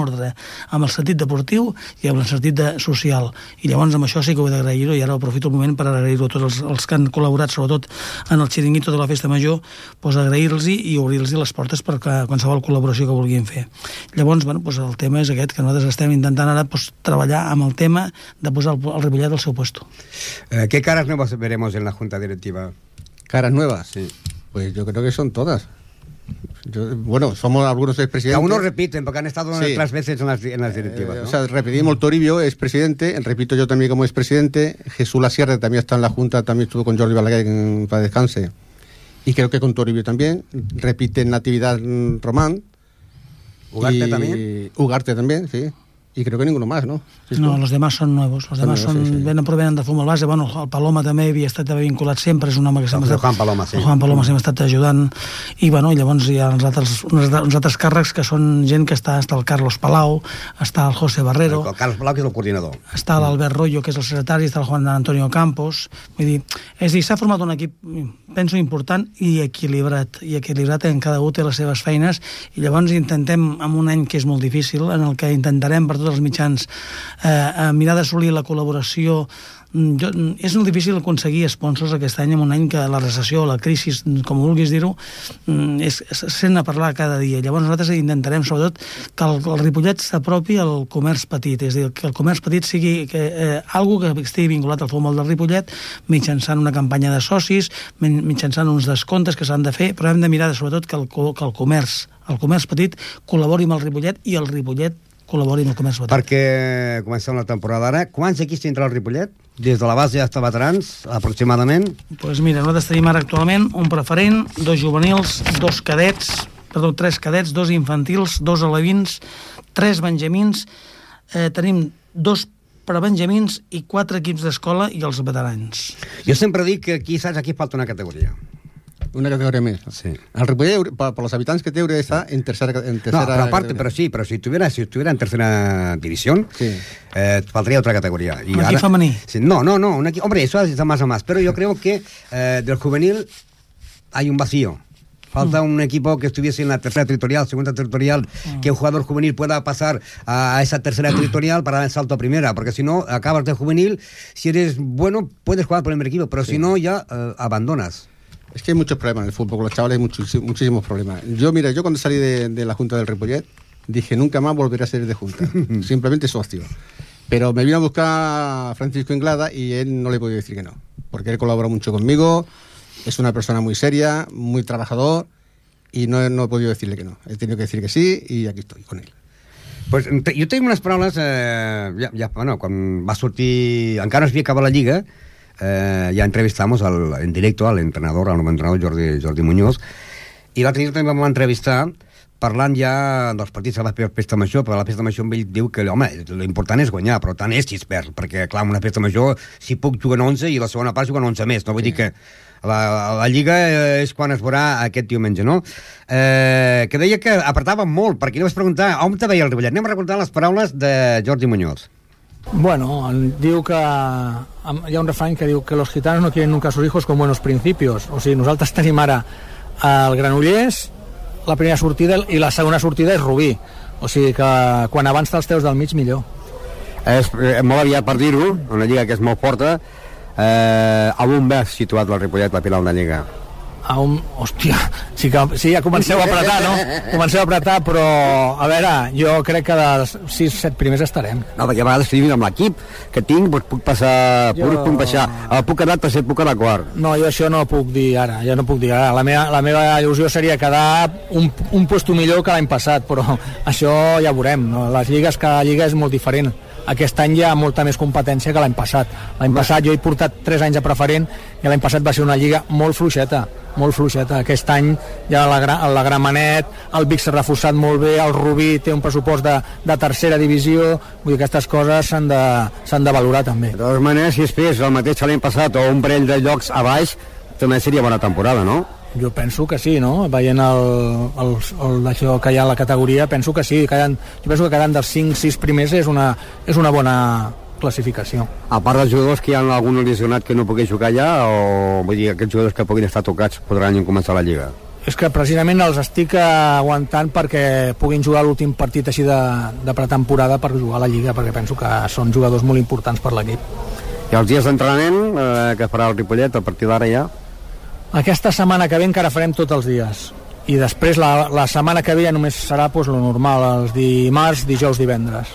el sentit deportiu i amb el sentit social. I llavors amb això sí que ho he d'agrair-ho, i ara aprofito el moment per agrair-ho a tots els que han col·laborat, sobretot en el xiringuito de la Festa Major, doncs agrair-los i obrir-los les portes per qualsevol col·laboració que vulguin fer. Llavors, el tema és aquest, que nosaltres estem intentant ara treballar amb el tema de posar el Ripollet al seu puesto. ¿Qué caras nuevas veremos en la Junta Directiva? ¿Caras nuevas? Sí. Pues yo creo que son todas. Somos algunos expresidentes. Algunos repiten, porque han estado otras veces en las directivas, ¿no? O sea, repetimos, Toribio es presidente, repito yo también como expresidente, Jesús Lasierre también está en la Junta, también estuvo con Jordi Balaguer para descanse. y creo que con Toribio también. Repite Natividad Román. ¿Ugarte también? Ugarte también, sí. Y creo que ninguno más, ¿no? ¿Sí, no, los demás són nuevos. Los demás provenen de futbol base. Bueno, el Paloma també havia estat vinculat sempre, és un home que sempre Juan Paloma, sí. El Juan Paloma sempre ha estat ajudant. I bueno, llavors hi ha uns altres càrrecs que són gent que està el Carlos Palau, està el José Barrero. El Carlos Palau, que és el coordinador. Està l'Albert Rollo, que és el secretari, està el Juan Antonio Campos. Vull dir, s'ha format un equip, penso, important i equilibrat en cada un té les seves feines, i llavors intentem, en un any que és molt difícil, en el que intentarem per tots els mitjans mirar d'assolir la col·laboració. És molt difícil aconseguir sponsors aquest any, en un any que la recessió, la crisi, com vulguis dir-ho, sent a parlar cada dia. Llavors nosaltres intentarem sobretot que el Ripollet s'apropi al comerç petit, és a dir, que el comerç petit sigui algo que estigui vinculat al futbol del Ripollet, mitjançant una campanya de socis, mitjançant uns descomptes que s'han de fer, però hem de mirar sobretot que el comerç petit col·labori amb el Ripollet i el Ripollet col·labori amb el comerç petit. Perquè comencem la temporada ara. Quants equips tindrà el Ripollet? Des de la base fins a veterans, aproximadament? Doncs mira, nosaltres tenim ara actualment un preferent, 2 juvenils, 3 cadets, 2 infantils, 2 alevins, 3 benjamins, tenim 2 prebenjamins i 4 equips d'escola i els veterans. Jo sempre dic que aquí, saps, aquí falta una categoria. Una categoría más. Sí. El Ripollet, por los habitantes que tiene, está en tercera. No, pero aparte, pero si estuviera en tercera división, sí. Faltaría otra categoría. Y ¿un equipo femenino? Sí, no, hombre, eso está más a más. Pero yo creo que del juvenil hay un vacío. Falta un equipo que estuviese en la tercera territorial, segunda territorial, que un jugador juvenil pueda pasar a esa tercera territorial para dar el salto a primera, porque si no, acabas de juvenil, si eres bueno, puedes jugar por el primer equipo, pero si no, ya abandonas. Es que hay muchos problemas en el fútbol, con los chavales hay muchísimos problemas. Yo cuando salí de la Junta del Ripollet, dije, nunca más volveré a ser de Junta, simplemente socio. Pero me vino a buscar Francisco Inglada y él no le he podido decir que no, porque él colabora mucho conmigo, es una persona muy seria, muy trabajador, y no he podido decirle que no. He tenido que decir que sí, y aquí estoy, con él. Pues jo tinc unes paraules, bueno, quan va sortir, encara no es havia acabat la Lliga, ya entrevistamos en directo al entrenador Jordi Muñoz, i l'altre dia també vam entrevistar parlant ja dels partits a la festa major, però a la festa major ell diu que, home, l'important és guanyar, però tant és si es perd, perquè, clar, en una festa major, si puc juguen 11 i la segona part juguen 11 més, no? Vull dir que la Lliga és quan es veurà aquest diumenge, no? Que deia que apretava molt, perquè li vaig preguntar on te veia el Ripollet. Anem a recordar les paraules de Jordi Muñoz. Bueno, diu que hi ha un refrany que diu que los gitanos no quieren nunca a sus hijos con buenos principios. O sigui, nosaltres tenim ara el Granollers, la primera sortida, i la segona sortida és Rubí. O sigui que quan abans te'ls teus del mig, millor. És molt aviat per dir-ho, una lliga que és molt forta. A on ves situat el Ripollet, la final de lliga? Hòstia, sí, ja comenceu a apretar, no? Comenceu a apretar, però a veure, jo crec que dels 6-7 primers estarem. No, perquè a vegades si amb l'equip que tinc, doncs puc passar, puc baixar, puc quedar tercer, puc quedar quart. No, jo això no puc dir ara, la meva il·lusió seria quedar un puesto millor que l'any passat, però això ja veurem, no? Cada lliga és molt diferent. Aquest any hi ha molta més competència que l'any passat. L'any passat jo he portat 3 anys a preferent i l'any passat va ser una lliga molt fluixeta. Aquest any ja la Gramenet, el Vic s'ha reforçat molt bé, el Rubí té un pressupost de tercera divisió, vull dir que aquestes coses s'han de valorar també. De totes maneres, si es fes el mateix l'any passat o un parell de llocs a baix, també seria bona temporada, no? Jo penso que sí, no? Veient això que hi ha a la categoria, penso que sí. Jo penso que quedant dels 5-6 primers és una bona classificació. A part dels jugadors que hi ha algun lesionat que no pugui jugar ja, o vull dir, aquests jugadors que puguin estar tocats podran començar la Lliga? És que precisament els estic aguantant perquè puguin jugar l'últim partit així de pretemporada per jugar a la Lliga, perquè penso que són jugadors molt importants per l'equip. I els dies d'entrenament que farà el Ripollet a partir d'ara ja? Aquesta setmana que ve encara farem tots els dies i després la setmana que ve ja només serà lo normal, els dimarts, dijous, divendres.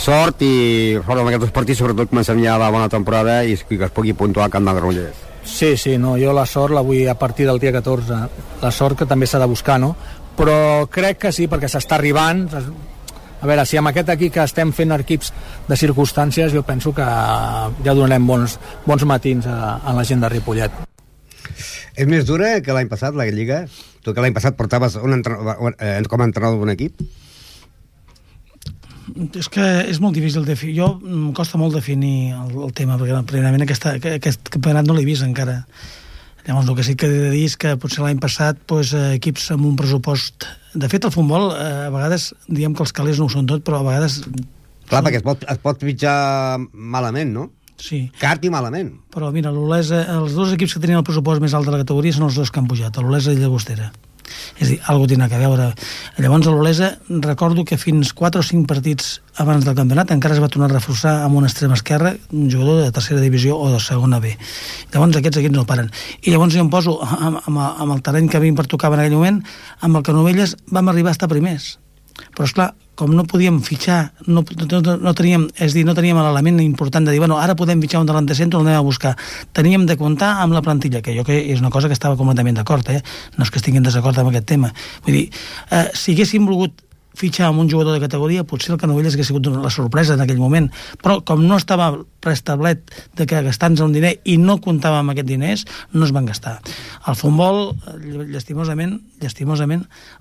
Sort i sort amb aquests partits, sobretot comencem ja la bona temporada i que es pugui puntuar al camp del Granollers. Sí, no, jo la sort la vull a partir del dia 14, la sort que també s'ha de buscar, no? Però crec que sí, perquè s'està arribant. A veure, si amb aquest aquí que estem fent equips de circumstàncies, jo penso que ja donarem bons matins a la gent de Ripollet. És més dura que l'any passat, la Lliga? Tu que l'any passat portaves com a entrenador d'un equip? És que és molt difícil de definir. Em costa molt definir el tema, perquè primerament aquest campionat no l'he vist encara. Llavors, el que sí que he de dir és que potser l'any passat equips amb un pressupost... De fet, el futbol, a vegades, diem que els calés no ho són tot, però a vegades... Clar, perquè es pot fitxar malament, no? Sí. Car i malament. Però mira, l'Olesa, els dos equips que tenien el pressupost més alt de la categoria són els dos que han pujat, l'Olesa i Llagostera. És a dir, alguna cosa tindrà a veure. Llavors a l'Olesa recordo que fins 4 o 5 partits abans del campionat encara es va tornar a reforçar amb un extrem esquerre, un jugador de tercera divisió o de segona B. Llavors aquests equips no paren. I llavors jo em poso amb el terreny que a mi em pertocava en aquell moment, amb el Canovelles vam arribar a estar primers. Però esclar, com no podíem fitxar, no teníem l'element important de dir, bueno, ara podem fitxar un delanter centre, el anem a buscar. Teníem de comptar amb la plantilla, que jo que és una cosa que estava completament d'acord, no és que estigui en desacord amb aquest tema. Vull dir, si haguéssim volgut fitxar amb un jugador de categoria, potser el Canovelles hagués sigut la sorpresa en aquell moment, però com no estava preestablet de que gastar-nos un diner i no comptàvem amb aquests diners, no es van gastar. Al futbol, llastimosament,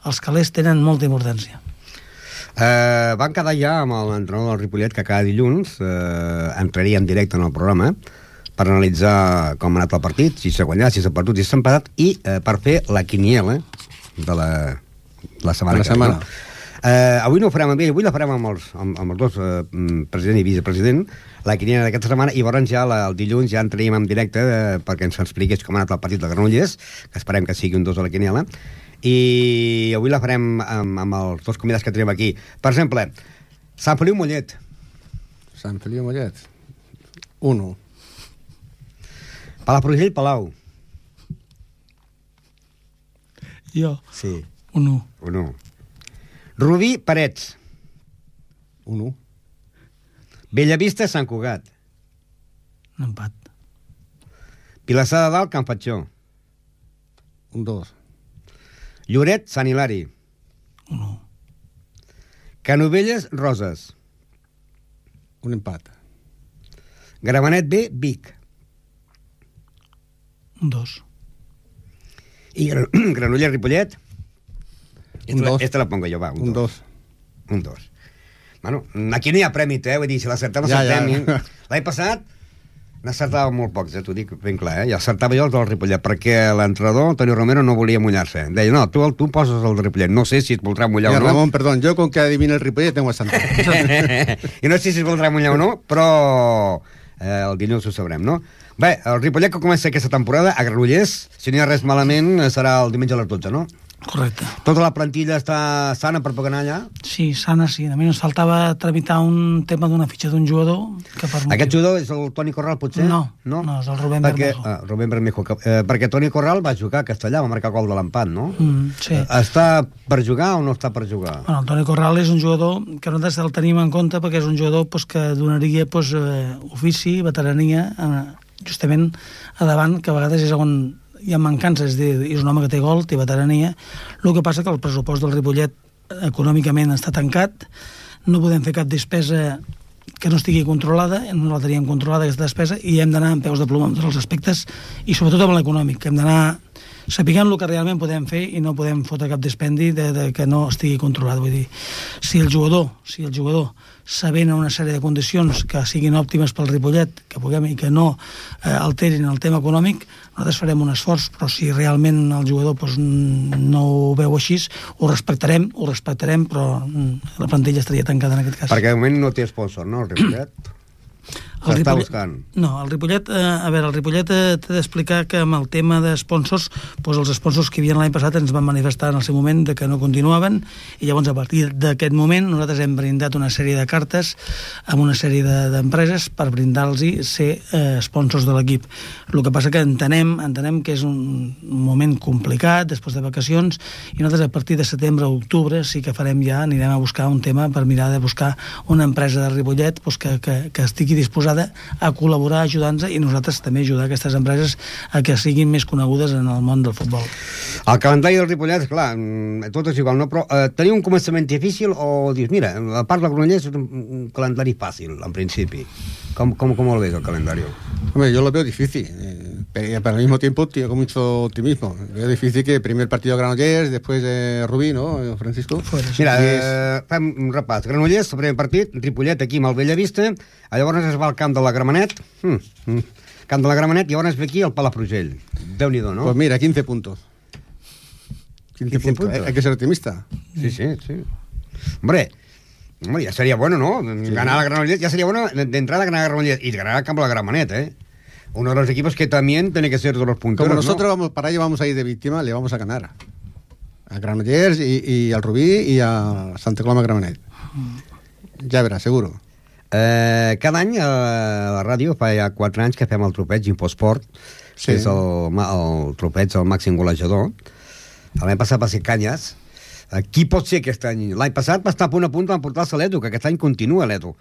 els calés tenen molta importància. Van quedar ja amb l'entrenador del Ripollet que cada dilluns entraria en directe en el programa per analitzar com ha anat el partit, si s'ha guanyat, si s'ha perdut, si s'ha empatat, i per fer la quiniela de la setmana. Avui no ho farem amb ell, avui la farem amb els dos, president i vicepresident, la quiniela d'aquesta setmana, i llavors ja el dilluns ja entraríem en directe perquè ens expliqués com ha anat el partit de Granollers, que esperem que sigui un 2 a la quiniela, i avui la farem amb els dos convidats que tenim aquí. Per exemple, Sant Feliu Mollet. Sant Feliu Mollet. 1. Palafrugell Palau. Jo. Sí. 1. Rubí Parets. 1. Bellavista Sant Cugat. Un empat. Vilassar de Dalt Can Fatxó. 2. Lloret, Sant Hilari. 1. Canovelles, Roses. Un empat. Gramenet B, Vic. 2. I Granollers, Ripollet. Un 2. Esta la pongo jo, va. Un 2. Un 2. Bueno, aquí no hi ha prèmit, vull dir, si l'acertem, l'acertem. Ja. L'any passat n'acertava molt pocs, t'ho dic ben clar, i acertava jo els del Ripollet, perquè l'entrenador, Antonio Romero, no volia mullar-se. Deia, no, tu poses el del Ripollet, no sé si es voldrà mullar o no. Ramon, perdón, yo con que adivine el Ripollet tengo bastante. I no sé si es voldrà mullar o no, però el dilluns ho sabrem, no? Bé, el Ripollet que comença aquesta temporada, a Granollers, si no hi ha res malament, serà el diumenge a les 12, no? Correcte. Tota la plantilla està sana per poder anar allà? Sí, sana, sí. A mi ens faltava tramitar un tema d'una fitxa d'un jugador que per Aquest jugador és el Toni Corral, potser? No, és el Rubén Bermejo. Rubén Bermejo, perquè Toni Corral va jugar a Castellà, va marcar gol de l'empat, no? Sí. Està per jugar o no està per jugar? Bueno, el Toni Corral és un jugador que nosaltres el tenim en compte perquè és un jugador que donaria ofici, veterania, justament a davant, que a vegades és on hi ha mancances, és un home que té gol, té veterania. El que passa que el pressupost del Ripollet econòmicament està tancat, no podem fer cap despesa que no estigui controlada, no la teníem controlada aquesta despesa, i hem d'anar amb peus de ploma en tots els aspectes, i sobretot amb l'econòmic, hem d'anar sapiguem el que realment podem fer i no podem fotre cap dispendi de que no estigui controlat. Vull dir, si el jugador sabent una sèrie de condicions que siguin òptimes pel Ripollet, que puguem i que no alterin el tema econòmic, nosaltres farem un esforç, però si realment el jugador no ho veu així, ho respectarem, però la plantilla estaria tancada en aquest cas. Perquè de moment no té sponsor, no, el Ripollet? S'està buscant. No, el Ripollet, el Ripollet t'he d'explicar que amb el tema de sponsors, els sponsors que hi havia l'any passat ens van manifestar en el seu moment de que no continuaven, i llavors a partir d'aquest moment nosaltres hem brindat una sèrie de cartes amb una sèrie d'empreses per brindar-los ser sponsors de l'equip. El que passa que entenem que és un moment complicat després de vacacions, i nosaltres a partir de setembre o octubre sí que anirem a buscar un tema per mirar de buscar una empresa de Ripollet que estigui disposada a col·laborar ajudant-nos, i nosaltres també ajudar aquestes empreses a que siguin més conegudes en el món del futbol. El calendari del Ripollet, clar, tot és igual, no? Però tenia un començament difícil o dius, mira, a part de Granollers és un calendari fàcil, en principi. ¿Cómo lo ves el calendario? Hombre, yo lo veo difícil. pero al mismo tiempo tengo mucho optimismo. Es difícil que primer partido Granollers, después Rubí, ¿no, Francisco? Mira, fem un repàs. Granollers, el primer partit, Ripollet aquí amb el Bellavista, llavors es va al camp de la Gramenet, camp de la Gramenet, i llavors ve aquí al Palafrugell. Déu-n'hi-do, ¿no? Pues mira, 15 puntos. 15 puntos. Hay que ser optimista. Sí. Hombre, ya sería bueno, ¿no? Sí. Ganar la Granollers, ya sería bueno de entrada ganar a Granollers y ganar al campo de la Gramenet, ¿eh? Uno de los equipos que también tiene que ser de los punteros. Como nosotros vamos para ello, vamos a ir de víctima, le vamos a ganar a Granollers y al Rubí y a Santa Coloma Gramenet. Ja veràs, seguro. Cada any a la ràdio fa ja 4 anys que fem el tropeig Infosport, que és el tropeig del màxim golejador. L'any passat va ser Canyes. Qui pot ser aquest any? L'any passat va estar a punt d'emportar-se l'Edu, que aquest any continua l'Edu.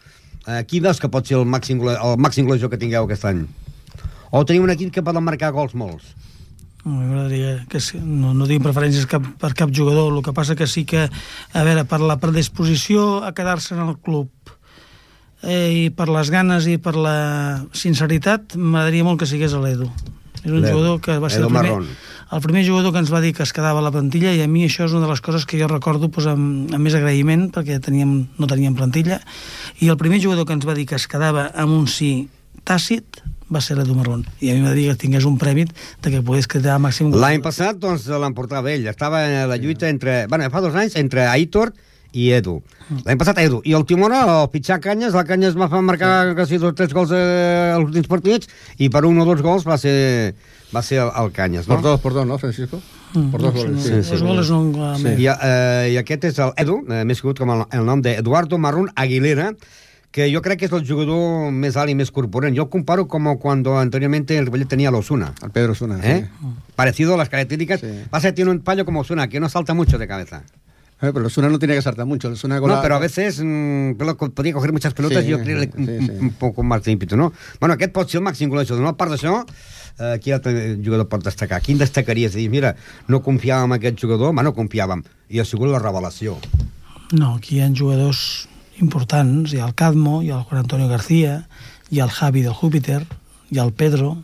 Qui veus que pot ser el màxim golejador que tingueu aquest any? O teniu un equip que poden marcar gols molts? M'agradaria que no tinc preferències per cap jugador. El que passa que sí que, a veure, per la predisposició a quedar-se en el club i per les ganes i per la sinceritat, m'agradaria molt que sigués l'Edu. És un jugador que va ser el primer jugador que ens va dir que es quedava a la plantilla, i a mi això és una de les coses que jo recordo amb més agraïment, perquè no teníem plantilla, i el primer jugador que ens va dir que es quedava amb un sí tàcit va ser l'Edu Marrón, i a mi m'agradaria que tingués un prèmit de que pogués quedar màxim. L'any passat, doncs, l'emportava ell. Estava en la lluita fa 2 anys, entre Aitor i Edu. L'any passat Edu. I el Timona, el pitjar Canyes, la Canyes va fer quasi 2 o 3 gols als últims partits, i per 1 o 2 gols va ser el Canyes, no? Por dos, ¿no, Francisco? Por 2 goles. Dos goles no... I aquest és el Edu, més conegut com el nom d'Eduardo Marrón Aguilera, que yo creo que es el jugador más alt y más corpulento. Yo comparo como cuando anteriormente el Ripollet tenía a Osuna. Al Pedro Osuna, sí. Parecido a las características. Sí. Pasa que tiene un paño como Osuna, que no salta mucho de cabeza. Pero Osuna no tiene que saltar mucho. No, pero a veces podía coger muchas pelotas y yo creo un poco más de ímpetu, no? Bueno, aquest pot ser el màxim golejador. No, a part d'això, quin altre jugador pot destacar? Quin destacaries? Dir, mira, no confiàvem en aquest jugador, no confiàvem. I ha sigut la revelació. No, aquí hi ha jugadors importants, hi ha el Cadmo, hi ha el Juan Antonio García, hi ha el Javi del Júpiter, hi ha el Pedro,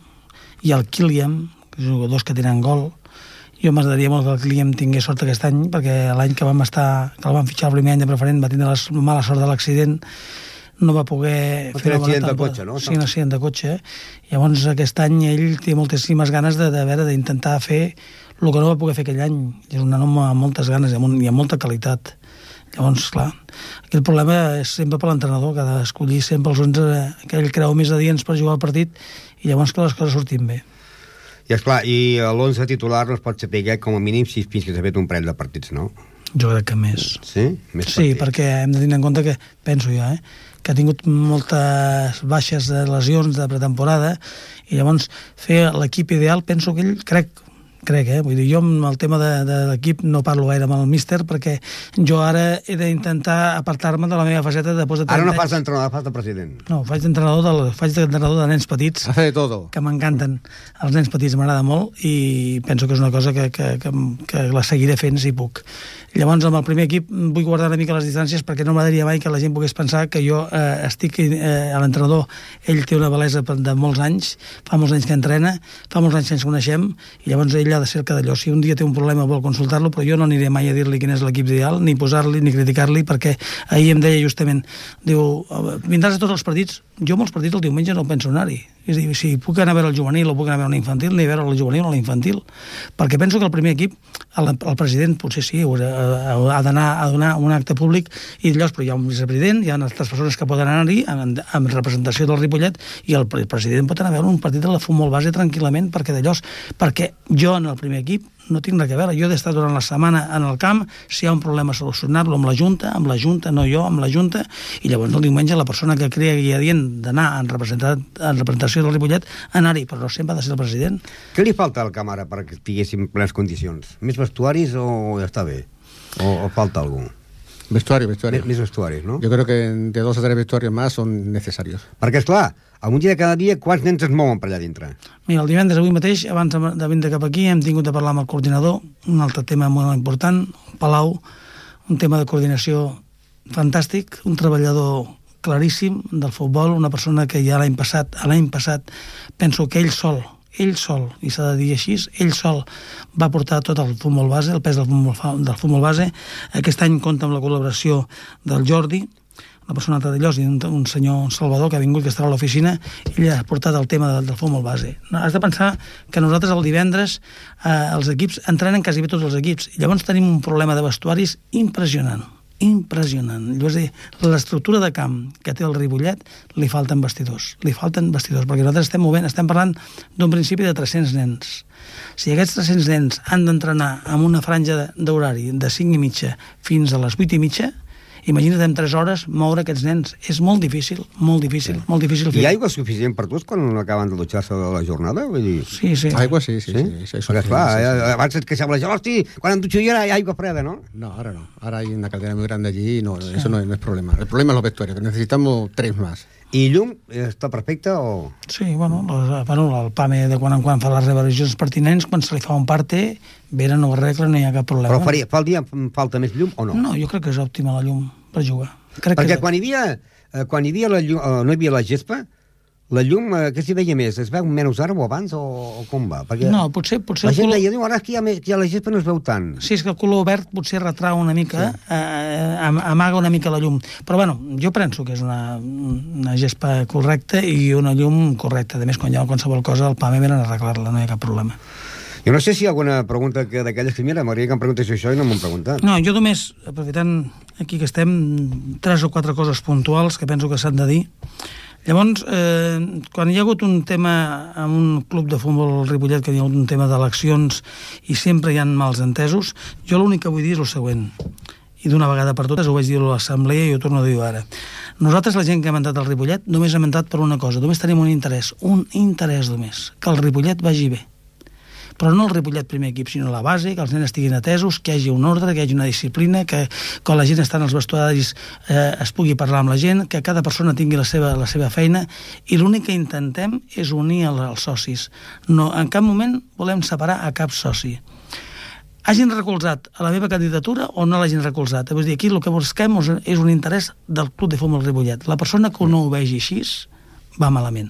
hi ha el Kilian, que són jugadors que tenen gol. Jo m'agradaria molt que el Kilian tingués sort aquest any, perquè l'any que el van fitxar el primer any de preferent va tindre la mala sort de l'accident, no va poder fer un accident de cotxe, no? Sí, un accident de cotxe. Llavors aquest any ell té moltíssimes ganes d'intentar fer el que no va poder fer aquell any. És un home amb moltes ganes i amb molta qualitat. Llavors, clar, aquí el problema és sempre per l'entrenador, que ha d'escollir sempre els 11 que ell creu més adients per jugar al partit, i llavors que les coses surtin bé. I esclar, i l'11 titular no es pot saber com a mínim si fins que s'ha fet un parell de partits, no? Jo crec que més. Sí? Més sí, perquè hem de tenir en compte que, penso jo, que ha tingut moltes baixes de lesions de pretemporada, i llavors fer l'equip ideal, penso que ell crec, vull dir, jo amb el tema de l'equip no parlo gaire amb el míster, perquè jo ara he d'intentar apartar-me de la meva faceta de 30 anys. Ara no fas d'entrenador, fas de president. No, faig d'entrenador de nens petits, hace de todo, que m'encanten. Els nens petits m'agrada molt i penso que és una cosa que la seguiré fent si puc. Llavors, amb el primer equip vull guardar una mica les distàncies, perquè no m'agradaria mai que la gent pogués pensar que jo estic a l'entrenador. Ell té una bellesa de molts anys, fa molts anys que entrena, fa molts anys que ens coneixem, i llavors ell ha de ser cada allò. Si un dia té un problema vol consultar-lo, però jo no aniré mai a dir-li quin és l'equip ideal, ni posar-li, ni criticar-li, perquè ahir em deia justament, diu, vindràs a tots els partits? Jo molts partits el diumenge no penso anar-hi. És a dir, si puc anar a veure el juvenil o puc anar a veure un infantil, ni a veure el juvenil o l'infantil, perquè penso que el primer equip, el president potser sí, ha d'anar a donar un acte públic i d'allò, però hi ha un vicepresident, hi ha altres persones que poden anar-hi amb representació del Ripollet, i el president pot anar a veure un partit de la futbol base tranquil·lament, perquè jo en el primer equip no tinc res a veure. Jo he d'estar durant la setmana en el camp, si hi ha un problema solucionar-lo amb la Junta, no jo, amb la Junta, i llavors el diumenge la persona que cregui adient d'anar en representació del Ripollet, anar-hi, però no sempre ha de ser el president. Què li falta al camp ara perquè estiguéssim en plenes condicions? Més vestuaris o ja està bé? O falta algú? Vestuario. Més vestuaris, ¿no? Yo creo que de 2 o 3 vestuarios más son necesarios. Perquè, esclar, un dia de cada dia, quants nens es mouen per allà dintre? Mira, el divendres, avui mateix, abans de vindre cap aquí, hem tingut de parlar amb el coordinador, un altre tema molt important, Palau, un tema de coordinació fantàstic, un treballador claríssim del futbol, una persona que ja l'any passat penso que ell sol ell sol, i s'ha de dir així, ell sol va portar tot el futbol base, el pes del futbol base. Aquest any compta amb la col·laboració del Jordi, una persona de Llos, i un senyor Salvador que ha vingut, que estarà a l'oficina. Ell ha portat el tema del futbol base. Has de pensar que nosaltres el divendres els equips entrenen quasi bé tots els equips, i llavors tenim un problema de vestuaris impressionant. És a dir, l'estructura de camp que té el Ripollet li falten vestidors, perquè nosaltres estem parlant d'un principi de 300 nens. Si aquests 300 nens han d'entrenar amb una franja d'horari de 5:30 fins a les 8:30, imagina't en 3 hores moure aquests nens. És molt difícil, molt difícil. Hi ha aigua suficient per tots quan acaben de dutxar-se de la jornada? Vull dir... Sí. Aigua sí. Perquè, esclar, abans et queixava la gent, hosti, quan em dutxo jo hi ha aigua freda, ¿no? No, ahora no. Ahora hay una caldera muy grande allí y eso no es problema. El problema es los vestuarios, que necesitamos 3 más. I llum està perfecte o...? Sí, el PAME de quan en quan fa les revisions pertinents, quan se li fa un parte, venen o arreglen, no hi ha cap problema. Però fa el dia falta més llum o no? No, jo crec que és òptima la llum per jugar. Perquè quan hi havia la llum, no hi havia la gespa, la llum, què s'hi veia més? Es veu menys ara o abans o com va? Perquè no, potser la gent deia, ara que ja la gespa no es veu tant. Sí, és que el color verd potser retrau una mica, amaga una mica la llum. Però bueno, jo penso que és una gespa correcta i una llum correcta. A més, quan hi ha qualsevol cosa, el PAME venen a arreglar-la, no hi ha cap problema. Jo no sé si hi ha alguna pregunta d'aquelles que, mira, m'agradaria que em preguntés això i no m'ho han preguntat. No, jo només, aprofitant aquí que estem, 3 o 4 coses puntuals que penso que s'han de dir. Llavors, quan hi ha hagut un tema amb un club de futbol Ripollet, que hi ha hagut un tema d'eleccions i sempre hi ha mals entesos, jo l'únic que vull dir és el següent, i d'una vegada per totes ho vaig dir a l'assemblea i ho torno a dir ara. Nosaltres, la gent que hem entrat al Ripollet, només hem entrat per una cosa, només tenim un interès només, que el Ripollet vagi bé. Però no el Ripollet primer equip, sinó la base, que els nens estiguin atesos, que hi hagi un ordre, que hi hagi una disciplina, que quan la gent està en els vestuaris es pugui parlar amb la gent, que cada persona tingui la seva feina, i l'únic que intentem és unir els socis. No, en cap moment volem separar a cap soci. Hagin recolzat a la meva candidatura o no l'hagin recolzat. Vull dir, aquí el que busquem és un interès del Club de Futbol Ripollet. La persona que no ho vegi així va malament.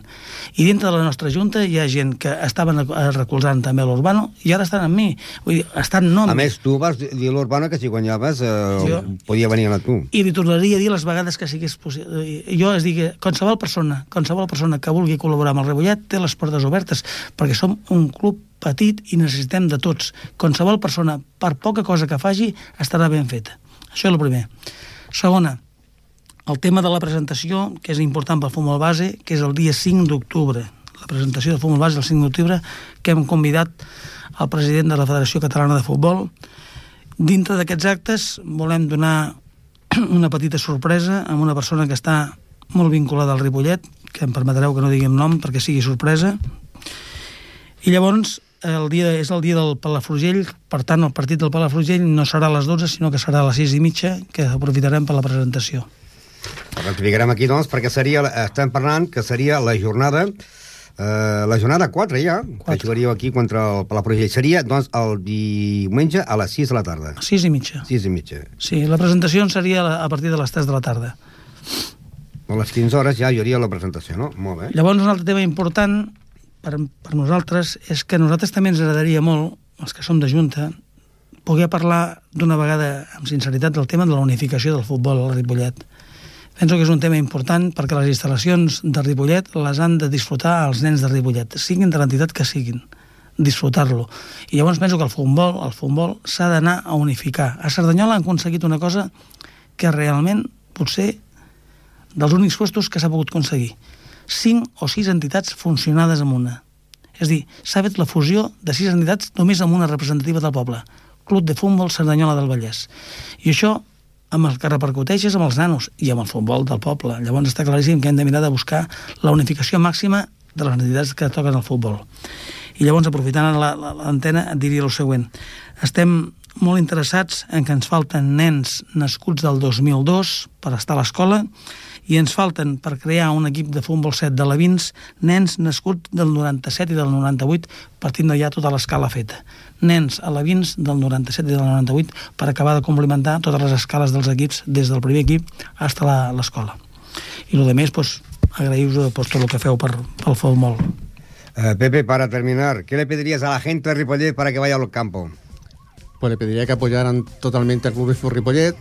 I dintre de la nostra junta hi ha gent que estaven recolzant també l'Urbano i ara estan amb mi. Vull dir, estan no amb mi. A més, tu vas dir a l'Urbano que si guanyaves podia venir a tu. I li tornaria a dir les vegades que sigués possible. Jo es digui, qualsevol persona que vulgui col·laborar amb el Ripollet té les portes obertes, perquè som un club petit i necessitem de tots. Qualsevol persona, per poca cosa que faci, estarà ben feta. Això és el primer. Segona, el tema de la presentació, que és important pel futbol base, que és el dia 5 d'octubre. La presentació del futbol base el 5 d'octubre, que hem convidat el president de la Federació Catalana de Futbol. Dintre d'aquests actes volem donar una petita sorpresa amb una persona que està molt vinculada al Ripollet, que em permetreu que no digui el nom perquè sigui sorpresa. I llavors és el dia del Palafrugell, per tant el partit del Palafrugell no serà a les 12, sinó que serà a les 6:30, que aprofitarem per la presentació. Ho explicarem aquí, doncs, perquè estem parlant que seria la jornada 4 ja, que jugaríeu aquí contra el Palafrugell. Seria, doncs, el diumenge a les 6 de la tarda. 6:30. 6:30. Sí, la presentació seria a partir de les 3 de la tarda. A les 15 hores ja hi hauria la presentació, no? Molt bé. Llavors, un altre tema important per nosaltres és que a nosaltres també ens agradaria molt, els que som de Junta, poder parlar d'una vegada amb sinceritat del tema de la unificació del futbol al Ripollet. Penso que és un tema important perquè les instal·lacions de Ripollet les han de disfrutar els nens de Ripollet, siguin de l'entitat que siguin, disfrutar-lo. I llavors penso que el futbol s'ha d'anar a unificar. A Cerdanyola han aconseguit una cosa que realment potser dels únics puestos que s'ha pogut aconseguir. 5 o 6 entitats funcionades amb una. És a dir, s'ha fet la fusió de 6 entitats només amb una representativa del poble. Club de Futbol Cerdanyola del Vallès. I això, amb el que repercuteix és amb els nanos i amb el futbol del poble. Llavors està claríssim que hem de mirar de buscar la unificació màxima de les entitats que toquen el futbol. I llavors, aprofitant l'antena, et diria el següent. Estem molt interessats en que ens falten nens nascuts del 2002 per estar a l'escola i ens falten, per crear un equip de futbol 7 de Levins, nens nascuts del 97 i del 98, partint de ja tota l'escala feta. Nens a Levins del 97 i del 98 per acabar de complementar totes les escales dels equips, des del primer equip fins a l'escola. I el que més, agraïu-vos tot el que feu pel futbol. Pepe, para terminar, ¿qué le pedirías a la gente de Ripollet para que vaya al campo? Pues le pediría que apoyaran totalmente al Club de Fútbol Ripollet,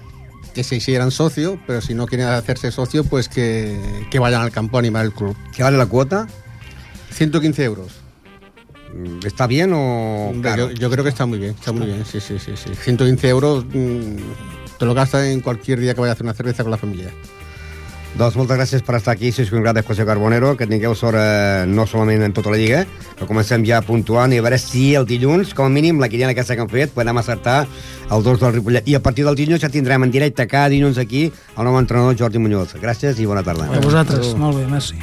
que se hicieran socio, pero si no quieren hacerse socio, pues que vayan al campo a animar el club. ¿Qué vale la cuota? 115 euros. ¿Está bien o caro? Yo creo que está muy bien, sí. 115 euros te lo gastas en cualquier día que vayas a hacer una cerveza con la familia. Doncs moltes gràcies per estar aquí, Cisco Ingrat de José Carbonero, que tingueu sort no solament en tota la Lliga, que comencem ja puntuant i a veure si el dilluns, com a mínim, la quiniela aquesta que hem fet, podem acertar el 2 del Ripollet. I a partir del dilluns ja tindrem en directe cada dilluns aquí el nou entrenador Jordi Muñoz. Gràcies i bona tarda. A vosaltres, molt bé, merci.